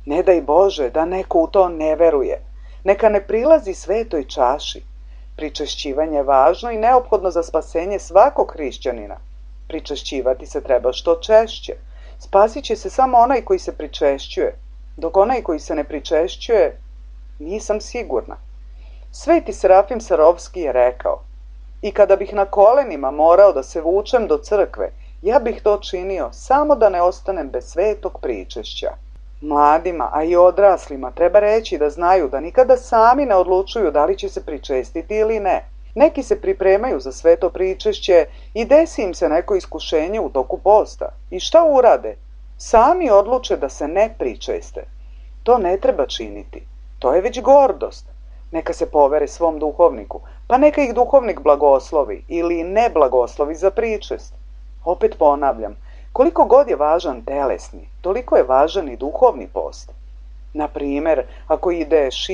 Ne daj Bože da neko u to ne veruje. Neka ne prilazi svetoj čaši. Pričešćivanje je važno i neophodno za spasenje svakog hrišćanina. Pričešćivati se treba što češće. Spasit će se samo onaj koji se pričešćuje, dok onaj koji se ne pričešćuje, nisam sigurna. Sveti Serafim Sarovski je rekao: i kada bih na kolenima morao da se vučem do crkve, ja bih to činio samo da ne ostanem bez svetog pričešća. Mladima, a i odraslima treba reći da znaju da nikada sami ne odlučuju da li će se pričestiti ili ne. Neki se pripremaju za sveto pričešće i desi im se neko iskušenje u toku posta. I šta urade? Sami odluče da se ne pričeste. To ne treba činiti. To je već gordost. Neka se povere svom duhovniku, pa neka ih duhovnik blagoslovi ili ne blagoslovi za pričest. Opet ponavljam, koliko god je važan telesni, toliko je važan i duhovni post. Na primjer, ako ideš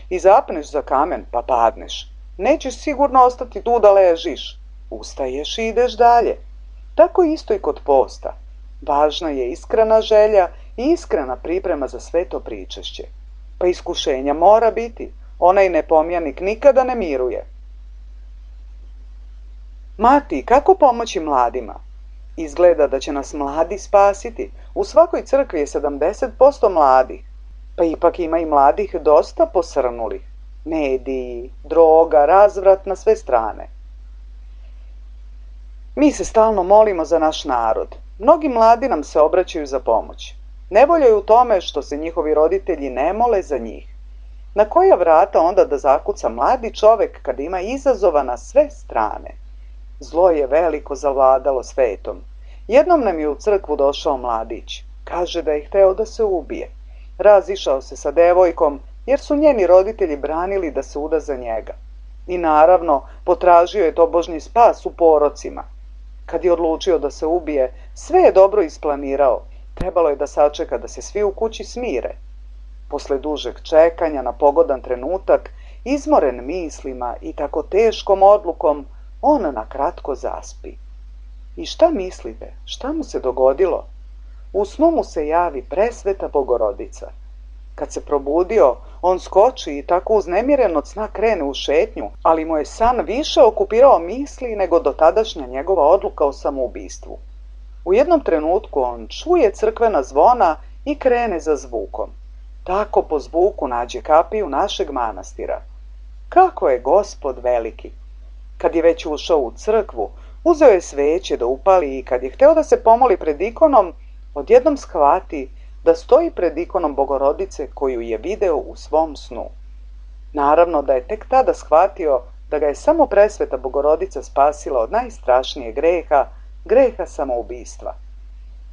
i zapneš za kamen pa padneš, nećeš sigurno ostati tu da ležiš. Ustaješ i ideš dalje. Tako isto i kod posta. Važna je iskrena želja i iskrena priprema za sveto pričešće. Pa iskušenja mora biti. Onaj nepomjanik nikada ne miruje. Mati, kako pomoći mladima? Izgleda da će nas mladi spasiti. U svakoj crkvi je 70% mladih. Pa ipak ima i mladih dosta posrnulih. Mediji, droga, razvrat na sve strane. Mi se stalno molimo za naš narod. Mnogi mladi nam se obraćaju za pomoć. Nevolja je u tome što se njihovi roditelji ne mole za njih. Na koja vrata onda da zakuca mladi čovek kad ima izazova na sve strane? Zlo je veliko zavladalo svetom. Jednom nam je u crkvu došao mladić. Kaže da je hteo da se ubije. Razišao se sa devojkom jer su njeni roditelji branili da se uda za njega. I naravno, potražio je tobožnji spas u porocima. Kad je odlučio da se ubije, sve je dobro isplanirao. Trebalo je da sačeka da se svi u kući smire. Posle dužeg čekanja na pogodan trenutak, izmoren mislima i tako teškom odlukom, on na kratko zaspi. I šta mislite? Šta mu se dogodilo? U snu mu se javi presveta Bogorodica. Kad se probudio, on skoči i tako uznemiren od sna krene u šetnju, ali mu je san više okupirao misli nego dotadašnja njegova odluka o samoubistvu. U jednom trenutku on čuje crkvena zvona i krene za zvukom. Tako po zvuku nađe kapiju našeg manastira. Kako je Gospod veliki! Kad je već ušao u crkvu, uzeo je sveće da upali i kad je hteo da se pomoli pred ikonom, odjednom shvati da stoji pred ikonom Bogorodice koju je video u svom snu. Naravno da je tek tada shvatio da ga je samo presveta Bogorodica spasila od najstrašnijeg greha, greha samoubistva.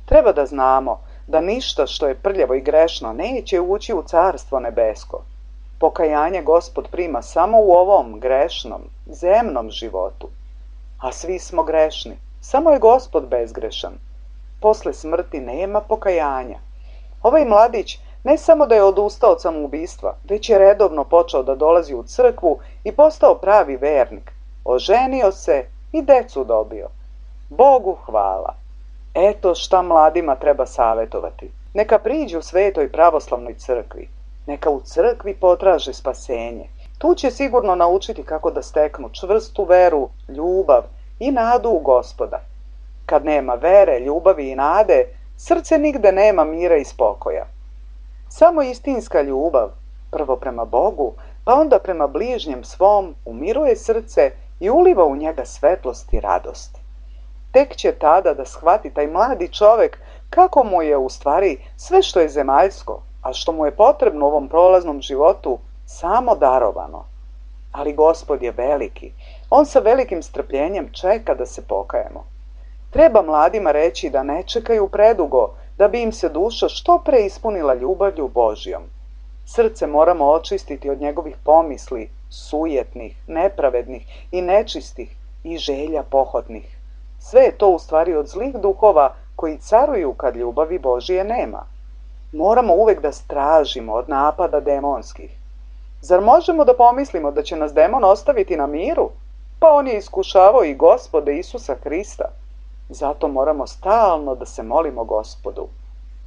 Treba da znamo da ništa što je prljavo i grešno neće ući u carstvo nebesko. Pokajanje Gospod prima samo u ovom grešnom, zemnom životu. A svi smo grešni, samo je Gospod bezgrešan. Posle smrti nema pokajanja. Ovaj mladić Ne samo da je odustao od samoubistva, već je redovno počeo da dolazi u crkvu i postao pravi vernik. Oženio se i decu dobio. Bogu hvala. Eto šta mladima treba savjetovati. Neka priđu Svetoj pravoslavnoj crkvi. Neka u crkvi potraže spasenje. Tu će sigurno naučiti kako da steknu čvrstu veru, ljubav i nadu u Gospoda. Kad nema vere, ljubavi i nade, srce nigde nema mira i spokoja. Samo istinska ljubav, prvo prema Bogu, pa onda prema bližnjem svom, umiruje srce i uliva u njega svetlost i radost. Tek će tada da shvati taj mladi čovek kako mu je u stvari sve što je zemaljsko, a što mu je potrebno u ovom prolaznom životu, samo darovano. Ali Gospod je veliki. On sa velikim strpljenjem čeka da se pokajemo. Treba mladima reći da ne čekaju predugo, da bi im se duša što pre ispunila ljubavlju Božjom. Srce moramo očistiti od njegovih pomisli, sujetnih, nepravednih i nečistih i želja pohotnih. Sve je to u stvari od zlih duhova koji caruju kad ljubavi Božije nema. Moramo uvek da stražimo od napada demonskih. Zar možemo da pomislimo da će nas demon ostaviti na miru? Pa on je iskušavao i Gospoda Isusa Hrista. Zato moramo stalno da se molimo Gospodu.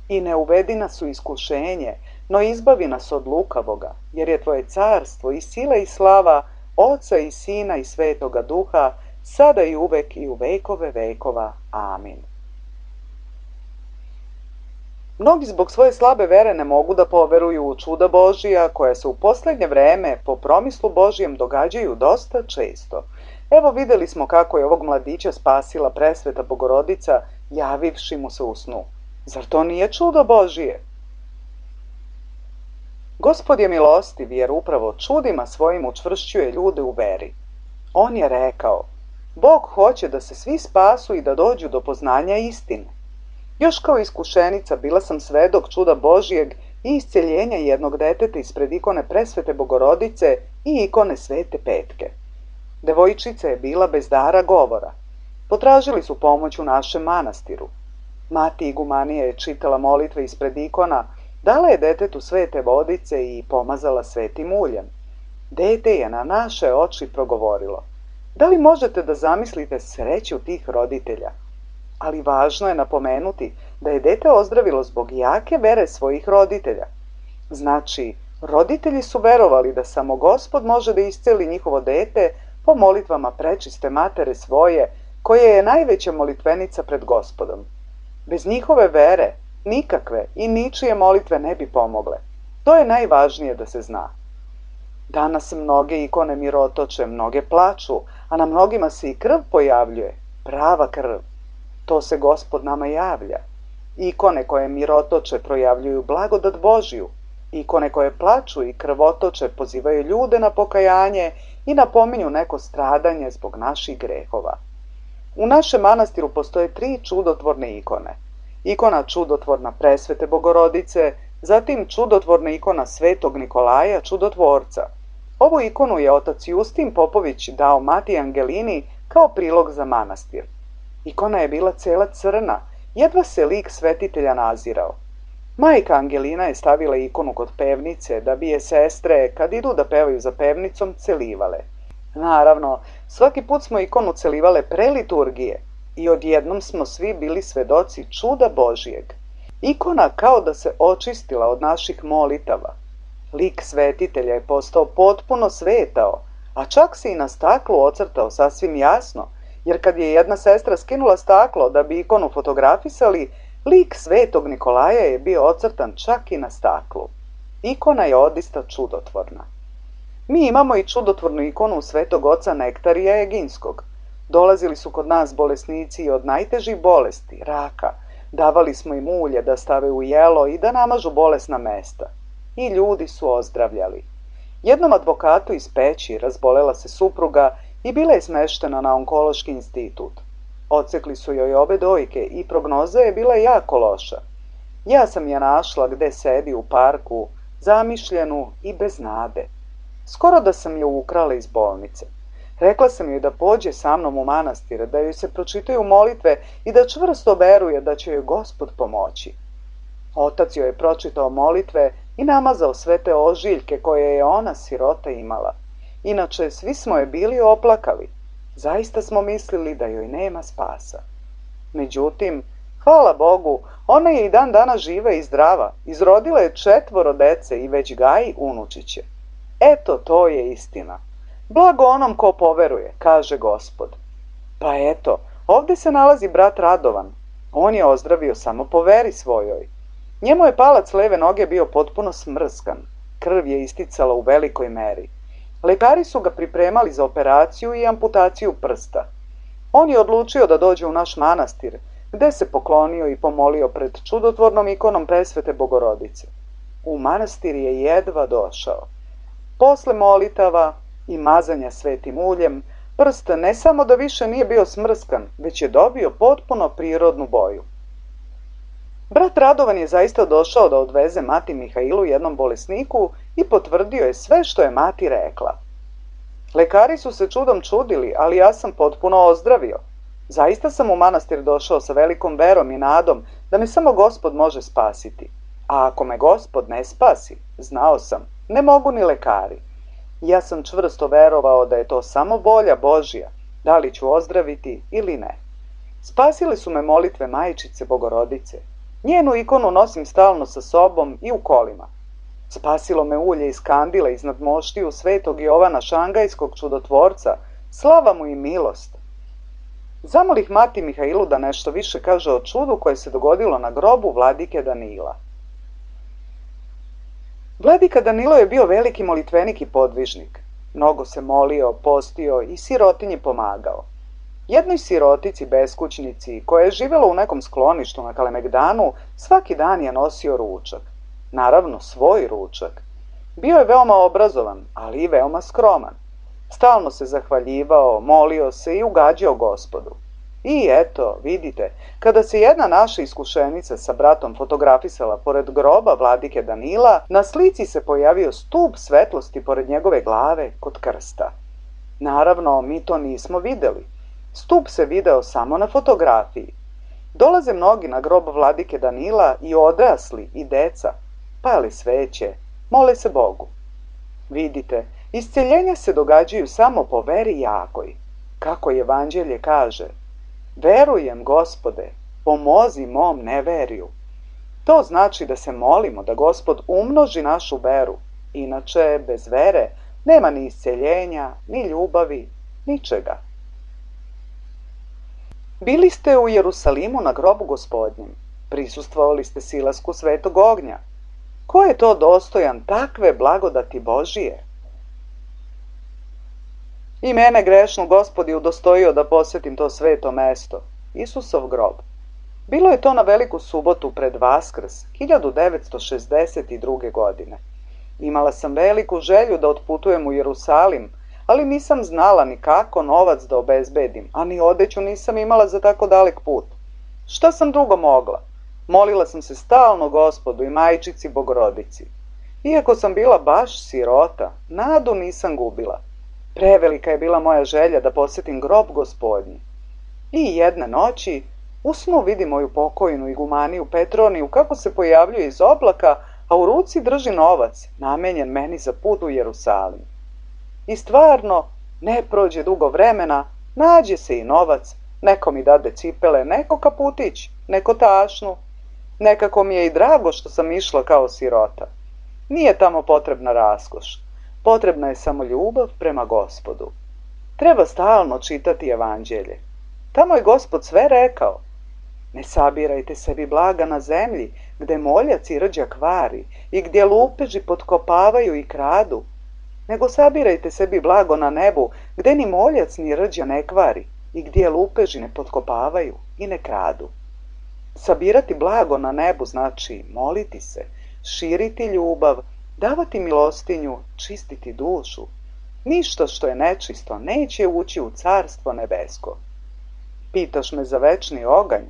I ne uvedi nas u iskušenje, no izbavi nas od lukavoga, jer je Tvoje carstvo i sila i slava Oca i Sina i Svetoga Duha, sada i uvek i u vekove vekova. Amin. Mnogi zbog svoje slabe vere ne mogu da poveruju u čuda Božija, koja se u poslednje vreme po promislu Božijem događaju dosta često. Evo videli smo kako je ovog mladića spasila presveta Bogorodica, javivši mu se u snu. Zar to nije čudo Božije? Gospod je milostiv jer upravo čudima svojim učvršćuje ljude u veri. On je rekao, Bog hoće da se svi spasu i da dođu do poznanja istine. Još kao iskušenica bila sam svedok čuda Božijeg i isceljenja jednog deteta ispred ikone presvete Bogorodice i ikone Svete Petke. Devojčica je bila bez dara govora. Potražili su pomoć u našem manastiru. Mati igumanija je čitala molitve ispred ikona, dala je detetu svete vodice i pomazala svetim uljem. Dete je na naše oči progovorilo. Da li možete da zamislite sreću tih roditelja? Ali važno je napomenuti da je dete ozdravilo zbog jake vere svojih roditelja. Znači, roditelji su verovali da samo Gospod može da isceli njihovo dete po molitvama prečiste matere svoje, koja je najveća molitvenica pred Gospodom. Bez njihove vere nikakve i ničije molitve ne bi pomogle. To je najvažnije da se zna. Danas mnoge ikone mirotoče, mnoge plaču, a na mnogima se i krv pojavljuje, prava krv. To se Gospod nama javlja. Ikone koje mirotoče projavljuju blagodat Božiju. Ikone koje plaču i krvotoče pozivaju ljude na pokajanje i napominju neko stradanje zbog naših grehova. U našem manastiru postoje 3 čudotvorne ikone. Ikona čudotvorna presvete Bogorodice, zatim čudotvorna ikona Svetog Nikolaja, čudotvorca. Ovu ikonu je otac Justin Popović dao Mati Angelini kao prilog za manastir. Ikona je bila cela crna, jedva se lik svetitelja nazirao. Majka Angelina je stavila ikonu kod pevnice da bi je sestre, kad idu da pevaju za pevnicom, celivale. Naravno, svaki put smo ikonu celivale pre liturgije i odjednom smo svi bili svedoci čuda Božijeg. Ikona kao da se očistila od naših molitava. Lik svetitelja je postao potpuno svetao, a čak se i na staklu ocrtao sasvim jasno, jer kad je jedna sestra skinula staklo da bi ikonu fotografisali, lik Svetog Nikolaja je bio ocrtan čak i na staklu. Ikona je odista čudotvorna. Mi imamo i čudotvornu ikonu Svetog oca Nektarija Eginskog. Dolazili su kod nas bolesnici od najtežih bolesti, raka. Davali smo im ulje da stave u jelo i da namažu bolesna mesta. I ljudi su ozdravljali. Jednom advokatu iz Peći razbolela se supruga i bila je smeštena na onkološki institut. Odsekli su joj obe dojke i prognoza je bila jako loša. Ja sam je našla gde sedi u parku, zamišljenu i bez nade. Skoro da sam je ukrala iz bolnice. Rekla sam joj da pođe sa mnom u manastir, da joj se pročitaju molitve i da čvrsto veruje da će joj Gospod pomoći. Otac joj je pročitao molitve i namazao sve te ožiljke koje je ona, sirota, imala. Inače, svi smo je bili oplakali. Zaista smo mislili da joj nema spasa. Međutim, hvala Bogu, ona je i dan danas živa i zdrava. Izrodila je 4 dece i već gaji unučiće. Eto, to je istina. Blago onom ko poveruje, kaže Gospod. Pa eto, ovdje se nalazi brat Radovan. On je ozdravio samo po veri svojoj. Njemu je palac leve noge bio potpuno smrskan. Krv je isticala u velikoj meri. Lekari su ga pripremali za operaciju i amputaciju prsta. On je odlučio da dođe u naš manastir, gde se poklonio i pomolio pred čudotvornom ikonom Presvete Bogorodice. U manastir je jedva došao. Posle molitava i mazanja svetim uljem, prst ne samo da više nije bio smrskan, već je dobio potpuno prirodnu boju. Brat Radovan je zaista došao da odveze mati Mihailu jednom bolesniku i potvrdio je sve što je mati rekla. Lekari su se čudom čudili, ali ja sam potpuno ozdravio. Zaista sam u manastir došao sa velikom verom i nadom da me samo Gospod može spasiti. A ako me Gospod ne spasi, znao sam, ne mogu ni lekari. Ja sam čvrsto verovao da je to samo volja Božja, da li ću ozdraviti ili ne. Spasile su me molitve Majčice Bogorodice. Njenu ikonu nosim stalno sa sobom i u kolima. Spasilo me ulje iz kandila iznad moštiju svetog Jovana Šangajskog čudotvorca, slava mu i milost. Zamolih mati Mihailu da nešto više kaže o čudu koje se dogodilo na grobu vladike Danila. Vladika Danilo je bio veliki molitvenik i podvižnik. Mnogo se molio, postio i sirotinji pomagao. Jednoj sirotici, beskućnici, koja je živjela u nekom skloništu na Kalemegdanu, svaki dan je nosio ručak. Naravno, svoj ručak. Bio je veoma obrazovan, ali i veoma skroman. Stalno se zahvaljivao, molio se i ugađao Gospodu. I eto, vidite, kada se jedna naša iskušenica sa bratom fotografisala pored groba vladike Danila, na slici se pojavio stup svetlosti pored njegove glave kod krsta. Naravno, mi to nismo videli. Stup se video samo na fotografiji. Dolaze mnogi na grob vladike Danila i odrasli i deca, pale sveće, mole se Bogu. Vidite, isceljenja se događaju samo po veri jakoj. Kako evanđelje kaže, verujem, Gospode, pomozi mom neveriju. To znači da se molimo da Gospod umnoži našu veru. Inače, bez vere nema ni isceljenja, ni ljubavi, ničega. Bili ste u Jerusalimu na grobu Gospodnjem. Prisustvovali ste silasku svetog ognja. Ko je to dostojan takve blagodati Božije? I mene grešnu Gospod je udostojio da posjetim to sveto mesto, Isusov grob. Bilo je to na veliku subotu pred Vaskrs, 1962. godine. Imala sam veliku želju da otputujem u Jerusalim, ali nisam znala ni kako novac da obezbedim, a ni odeću nisam imala za tako dalek put. Šta sam drugo mogla? Molila sam se stalno Gospodu i Majčici Bogorodici. Iako sam bila baš sirota, nadu nisam gubila. Prevelika je bila moja želja da posjetim grob Gospodnji. I jedne noći u snu vidim moju pokojnu igumaniju Petroniju kako se pojavljuje iz oblaka, a u ruci drži novac, namenjen meni za put u Jerusalim. I stvarno, ne prođe dugo vremena, nađe se i novac, neko mi dade cipele, neko kaputić, neko tašnu. Nekako mi je i drago što sam išla kao sirota. Nije tamo potrebna raskoš, potrebna je samo ljubav prema Gospodu. Treba stalno čitati evanđelje. Tamo je Gospod sve rekao. Ne sabirajte sebi blaga na zemlji, gde moljac i rđa kvari i gdje lupeži potkopavaju i kradu, nego sabirajte sebi blago na nebu, gde ni moljac ni rđa ne kvari i gdje lupeži ne potkopavaju i ne kradu. Sabirati blago na nebu znači moliti se, širiti ljubav, davati milostinju, čistiti dušu. Ništa što je nečisto neće ući u carstvo nebesko. Pitaš me za večni oganj.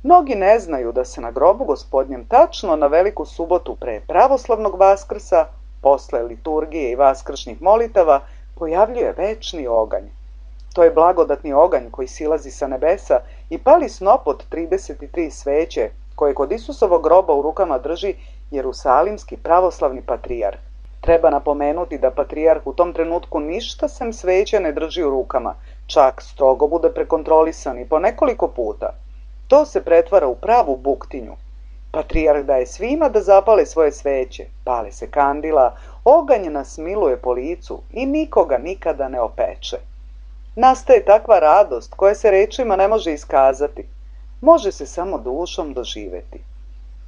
Mnogi ne znaju da se na grobu Gospodnjem tačno na veliku subotu pre pravoslavnog Vaskrsa, posle liturgije i vaskršnjih molitava, pojavljuje večni oganj. To je blagodatni oganj koji silazi sa nebesa i pali snop od 33 sveće koje kod Isusovog groba u rukama drži Jerusalimski pravoslavni patrijarh. Treba napomenuti da patrijarh u tom trenutku ništa sem sveće ne drži u rukama, čak strogo bude prekontrolisan i po nekoliko puta. To se pretvara u pravu buktinju. Patrijarh daje svima da zapale svoje sveće, pale se kandila, oganj nas miluje po licu i nikoga nikada ne opeče. Nastaje takva radost koja se rečima ne može iskazati, može se samo dušom doživeti.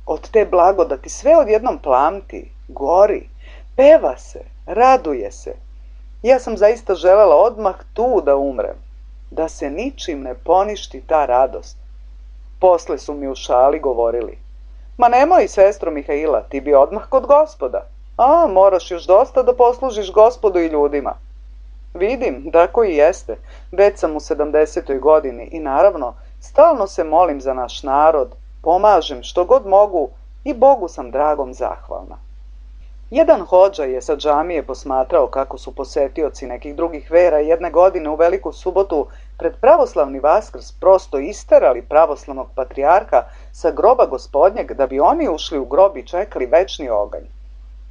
Od te blagodati sve odjednom plamti, gori, peva se, raduje se. Ja sam zaista želela odmah tu da umrem, da se ničim ne poništi ta radost. Posle su mi u šali govorili: ma nemoj, sestro Mihaila, ti bi odmah kod Gospoda. A, moraš još dosta da poslužiš Gospodu i ljudima. Vidim, tako i jeste. Već sam u 70. godini i naravno, stalno se molim za naš narod, pomažem što god mogu i Bogu sam dragom zahvalna. Jedan hodža je sa džamije posmatrao kako su posetioci nekih drugih vera jedne godine u Veliku subotu pred pravoslavni Vaskrs prosto isterali pravoslavnog patrijarha sa groba Gospodnjeg da bi oni ušli u grob i čekali večni oganj.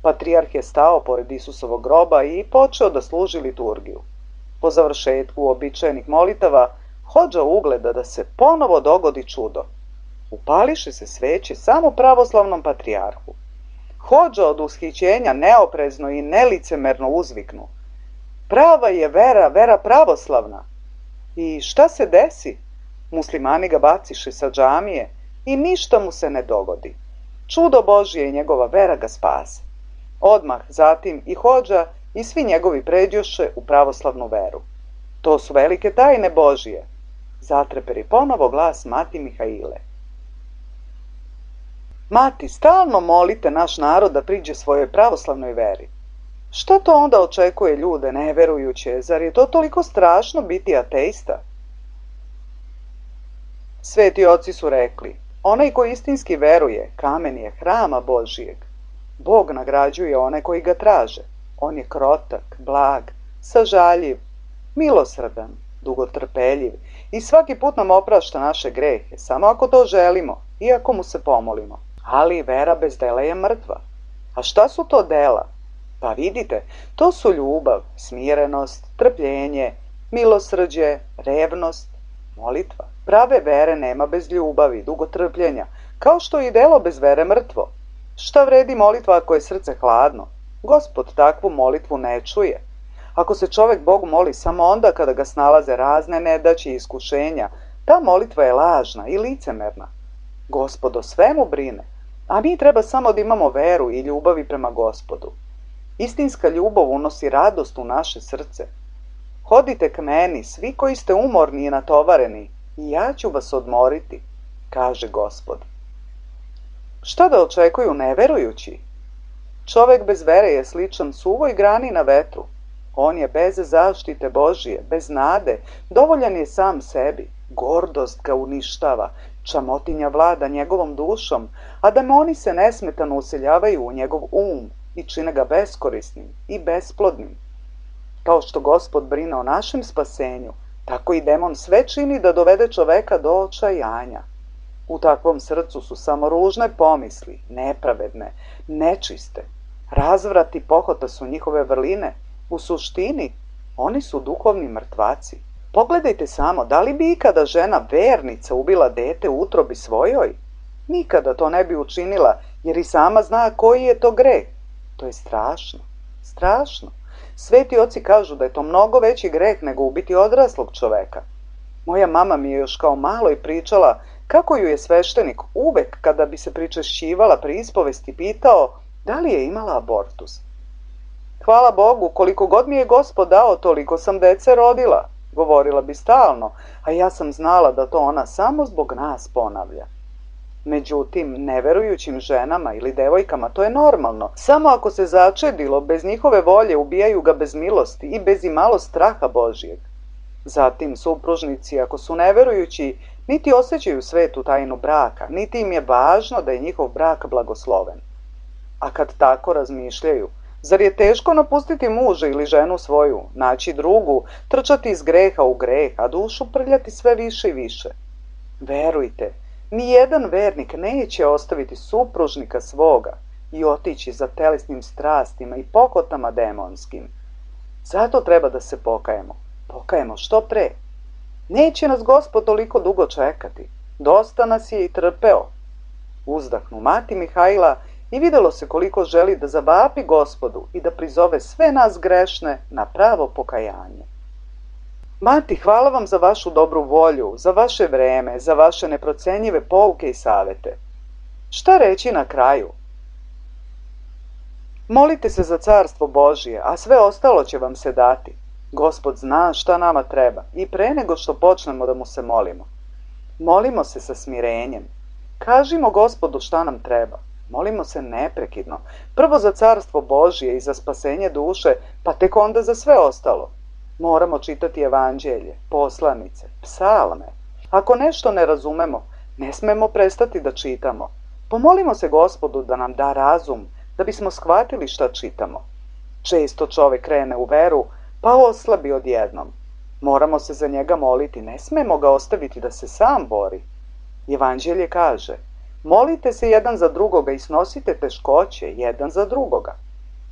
Patrijarh je stao pored Isusovog groba i počeo da služi liturgiju. Po završetku uobičajenih molitava, hodža ugleda da se ponovo dogodi čudo. Upališe se sveće samo pravoslavnom patrijarhu. Hodža od ushićenja neoprezno i nelicemerno uzviknu: prava je vera, vera pravoslavna. I šta se desi? Muslimani ga baciše sa džamije i ništa mu se ne dogodi. Čudo Božje i njegova vera ga spase. Odmah zatim i hodža i svi njegovi pređoše u pravoslavnu veru. To su velike tajne Božije, zatreperi ponovo glas mati Mihaile. Mati, stalno molite naš narod da priđe svojoj pravoslavnoj veri. Šta to onda očekuje ljude neverujuće? Zar je to toliko strašno biti ateista? Sveti oci su rekli: onaj ko istinski veruje, kamen je hrama Božijeg. Bog nagrađuje one koji ga traže. On je krotak, blag, sažaljiv, milosrdan, dugotrpeljiv i svaki put nam oprašta naše grehe, samo ako to želimo i ako mu se pomolimo. Ali vera bez dela je mrtva. A šta su to dela? Pa vidite, to su ljubav, smirenost, trpljenje, milosrđe, revnost, molitva. Prave vere nema bez ljubavi, dugotrpljenja, kao što je i delo bez vere mrtvo. Šta vredi molitva ako je srce hladno? Gospod takvu molitvu ne čuje. Ako se čovek Bogu moli samo onda kada ga snalaze razne nedaće i iskušenja, ta molitva je lažna i licemerna. Gospod o svemu brine, a mi treba samo da imamo veru i ljubavi prema Gospodu. Istinska ljubav unosi radost u naše srce. Hodite k meni, svi koji ste umorni i natovareni, i ja ću vas odmoriti, kaže Gospod. Šta da očekuju neverujući? Čovek bez vere je sličan suvoj grani na vetru. On je bez zaštite Božije, bez nade, dovoljan je sam sebi. Gordost ga uništava, čamotinja vlada njegovom dušom, a demoni se nesmetano useljavaju u njegov i čine ga beskorisnim i besplodnim. Kao što Gospod brine o našem spasenju, tako i demon sve čini da dovede čoveka do očajanja. U takvom srcu su samo ružne pomisli, nepravedne, nečiste. Razvrat i pohota su njihove vrline. U suštini, oni su duhovni mrtvaci. Pogledajte samo, da li bi ikada žena vernica ubila dete u utrobi svojoj? Nikada to ne bi učinila, jer i sama zna koji je to greh. To je strašno, strašno. Sveti oci kažu da je to mnogo veći greh nego ubiti odraslog čoveka. Moja mama mi je još kao maloj pričala kako ju je sveštenik uvek kada bi se pričešćivala pri ispovesti pitao da li je imala abortus. Hvala Bogu, koliko god mi je Gospod dao, toliko sam dece rodila, govorila bi stalno, a ja sam znala da to ona samo zbog nas ponavlja. Međutim, neverujućim ženama ili devojkama to je normalno. Samo ako se začedilo, bez njihove volje ubijaju ga bez milosti i bez imalo straha Božijeg. Zatim, supružnici, ako su neverujući, niti osjećaju svetu tajnu braka, niti im je važno da je njihov brak blagosloven. A kad tako razmišljaju, zar je teško napustiti muža ili ženu svoju, naći drugu, trčati iz greha u greh, a dušu prljati sve više i više? Verujte, Nijedan vernik neće ostaviti supružnika svoga i otići za telesnim strastima i pokotama demonskim. Zato treba da se pokajemo. Pokajemo što pre. Neće nas Gospod toliko dugo čekati. Dosta nas je i trpeo. Uzdahnu mati Mihajla i videlo se koliko želi da zavapi Gospodu i da prizove sve nas grešne na pravo pokajanje. Mati, hvala vam za vašu dobru volju, za vaše vreme, za vaše neprocenjive pouke i savete. Šta reći na kraju? Molite se za carstvo Božije, a sve ostalo će vam se dati. Gospod zna šta nama treba i pre nego što počnemo da mu se molimo. Molimo se sa smirenjem. Kažimo Gospodu šta nam treba. Molimo se neprekidno. Prvo za carstvo Božije i za spasenje duše, pa tek onda za sve ostalo. Moramo čitati evanđelje, poslanice, psalme. Ako nešto ne razumemo, ne smemo prestati da čitamo. Pomolimo se Gospodu da nam da razum, da bismo shvatili šta čitamo. Često čovek krene u veru, pa oslabi odjednom. Moramo se za njega moliti, ne smemo ga ostaviti da se sam bori. Evanđelje kaže, molite se jedan za drugoga i snosite teškoće jedan za drugoga.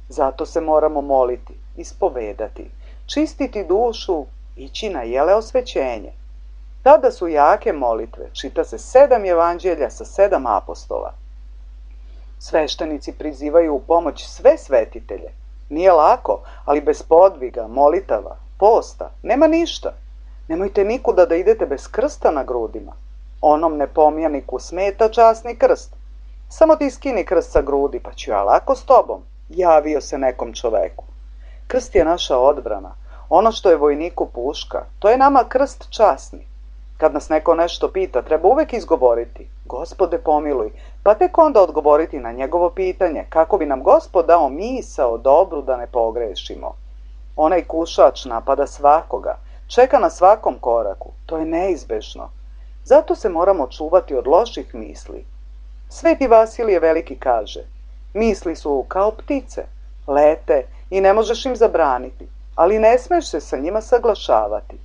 Zato se moramo moliti, ispovedati, čistiti dušu, ići na jeleosvećenje. Tada su jake molitve, čita se 7 evanđelja sa 7 apostola. Sveštenici prizivaju u pomoć sve svetitelje. Nije lako, ali bez podviga, molitava, posta, nema ništa. Nemojte nikuda da idete bez krsta na grudima. Onom nepomijaniku smeta časni krst. Samo ti skini krst sa grudi, pa ću ja lako s tobom, javio se nekom čoveku. Krst je naša odbrana. Ono što je vojniku puška, to je nama krst časni. Kad nas neko nešto pita, treba uvek izgovoriti, Gospode pomiluj, pa tek onda odgovoriti na njegovo pitanje, kako bi nam Gospod dao misao dobru da ne pogrešimo. Onaj kušač napada svakoga, čeka na svakom koraku, to je neizbežno. Zato se moramo čuvati od loših misli. Sveti Vasilije Veliki kaže, misli su kao ptice, lete i ne možeš im zabraniti, ali ne smeš se sa njima saglašavati.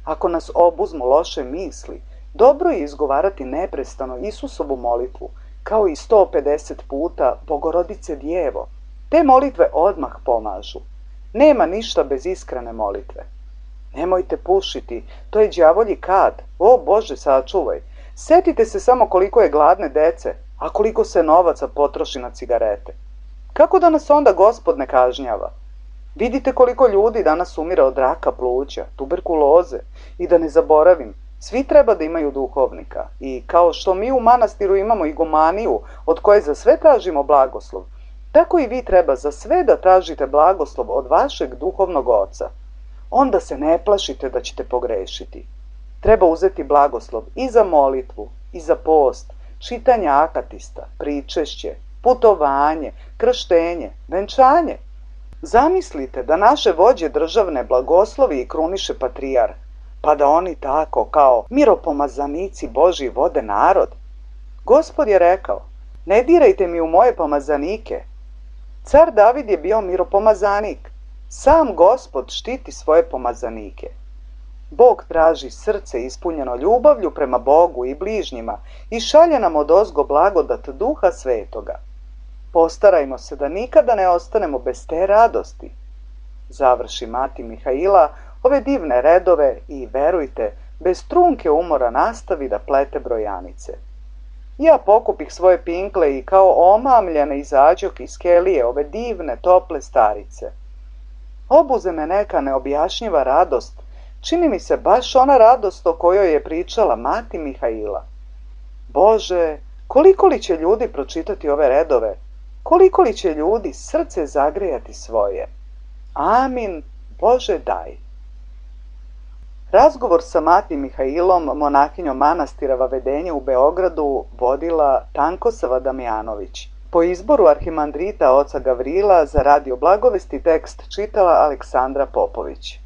Ako nas obuzmu loše misli, dobro je izgovarati neprestano Isusovu molitvu, kao i 150 puta Bogorodice Djevo. Te molitve odmah pomažu. Nema ništa bez iskrene molitve. Nemojte pušiti, to je đavolji kad. O Bože, sačuvaj. Setite se samo koliko je gladne dece, a koliko se novaca potroši na cigarete. Kako da nas onda Gospod ne kažnjava? Vidite koliko ljudi danas umire od raka pluća, tuberkuloze i da ne zaboravim, svi treba da imaju duhovnika i kao što mi u manastiru imamo igumaniju od koje za sve tražimo blagoslov, tako i vi treba za sve da tražite blagoslov od vašeg duhovnog oca. Onda se ne plašite da ćete pogrešiti. Treba uzeti blagoslov i za molitvu, i za post, čitanje akatista, pričešće, putovanje, krštenje, venčanje. Zamislite da naše vođe državne blagoslovi i kruniše patrijar, pa da oni tako kao miropomazanici Božji vode narod. Gospod je rekao, ne dirajte mi u moje pomazanike. Car David je bio miropomazanik. Sam Gospod štiti svoje pomazanike. Bog traži srce ispunjeno ljubavlju prema Bogu i bližnjima i šalje nam odozgo blagodat Duha Svetoga. Postarajmo se da nikada ne ostanemo bez te radosti. Završi mati Mihajla ove divne redove i, verujte, bez trunke umora nastavi da plete brojanice. Ja pokupih svoje pinkle i kao omamljene izađoh iz kelije ove divne, tople starice. Obuze me neka neobjašnjiva radost, čini mi se baš ona radost o kojoj je pričala mati Mihajla. Bože, koliko li će ljudi pročitati ove redove? Koliko li će ljudi srce zagrejati svoje? Amin, Bože daj. Razgovor sa mati Mihajlom, monahinjom manastira Vavedenje u Beogradu, vodila Tankosava Damjanović. Po izboru arhimandrita oca Gavrila za radio Blagovesti tekst čitala Aleksandra Popović.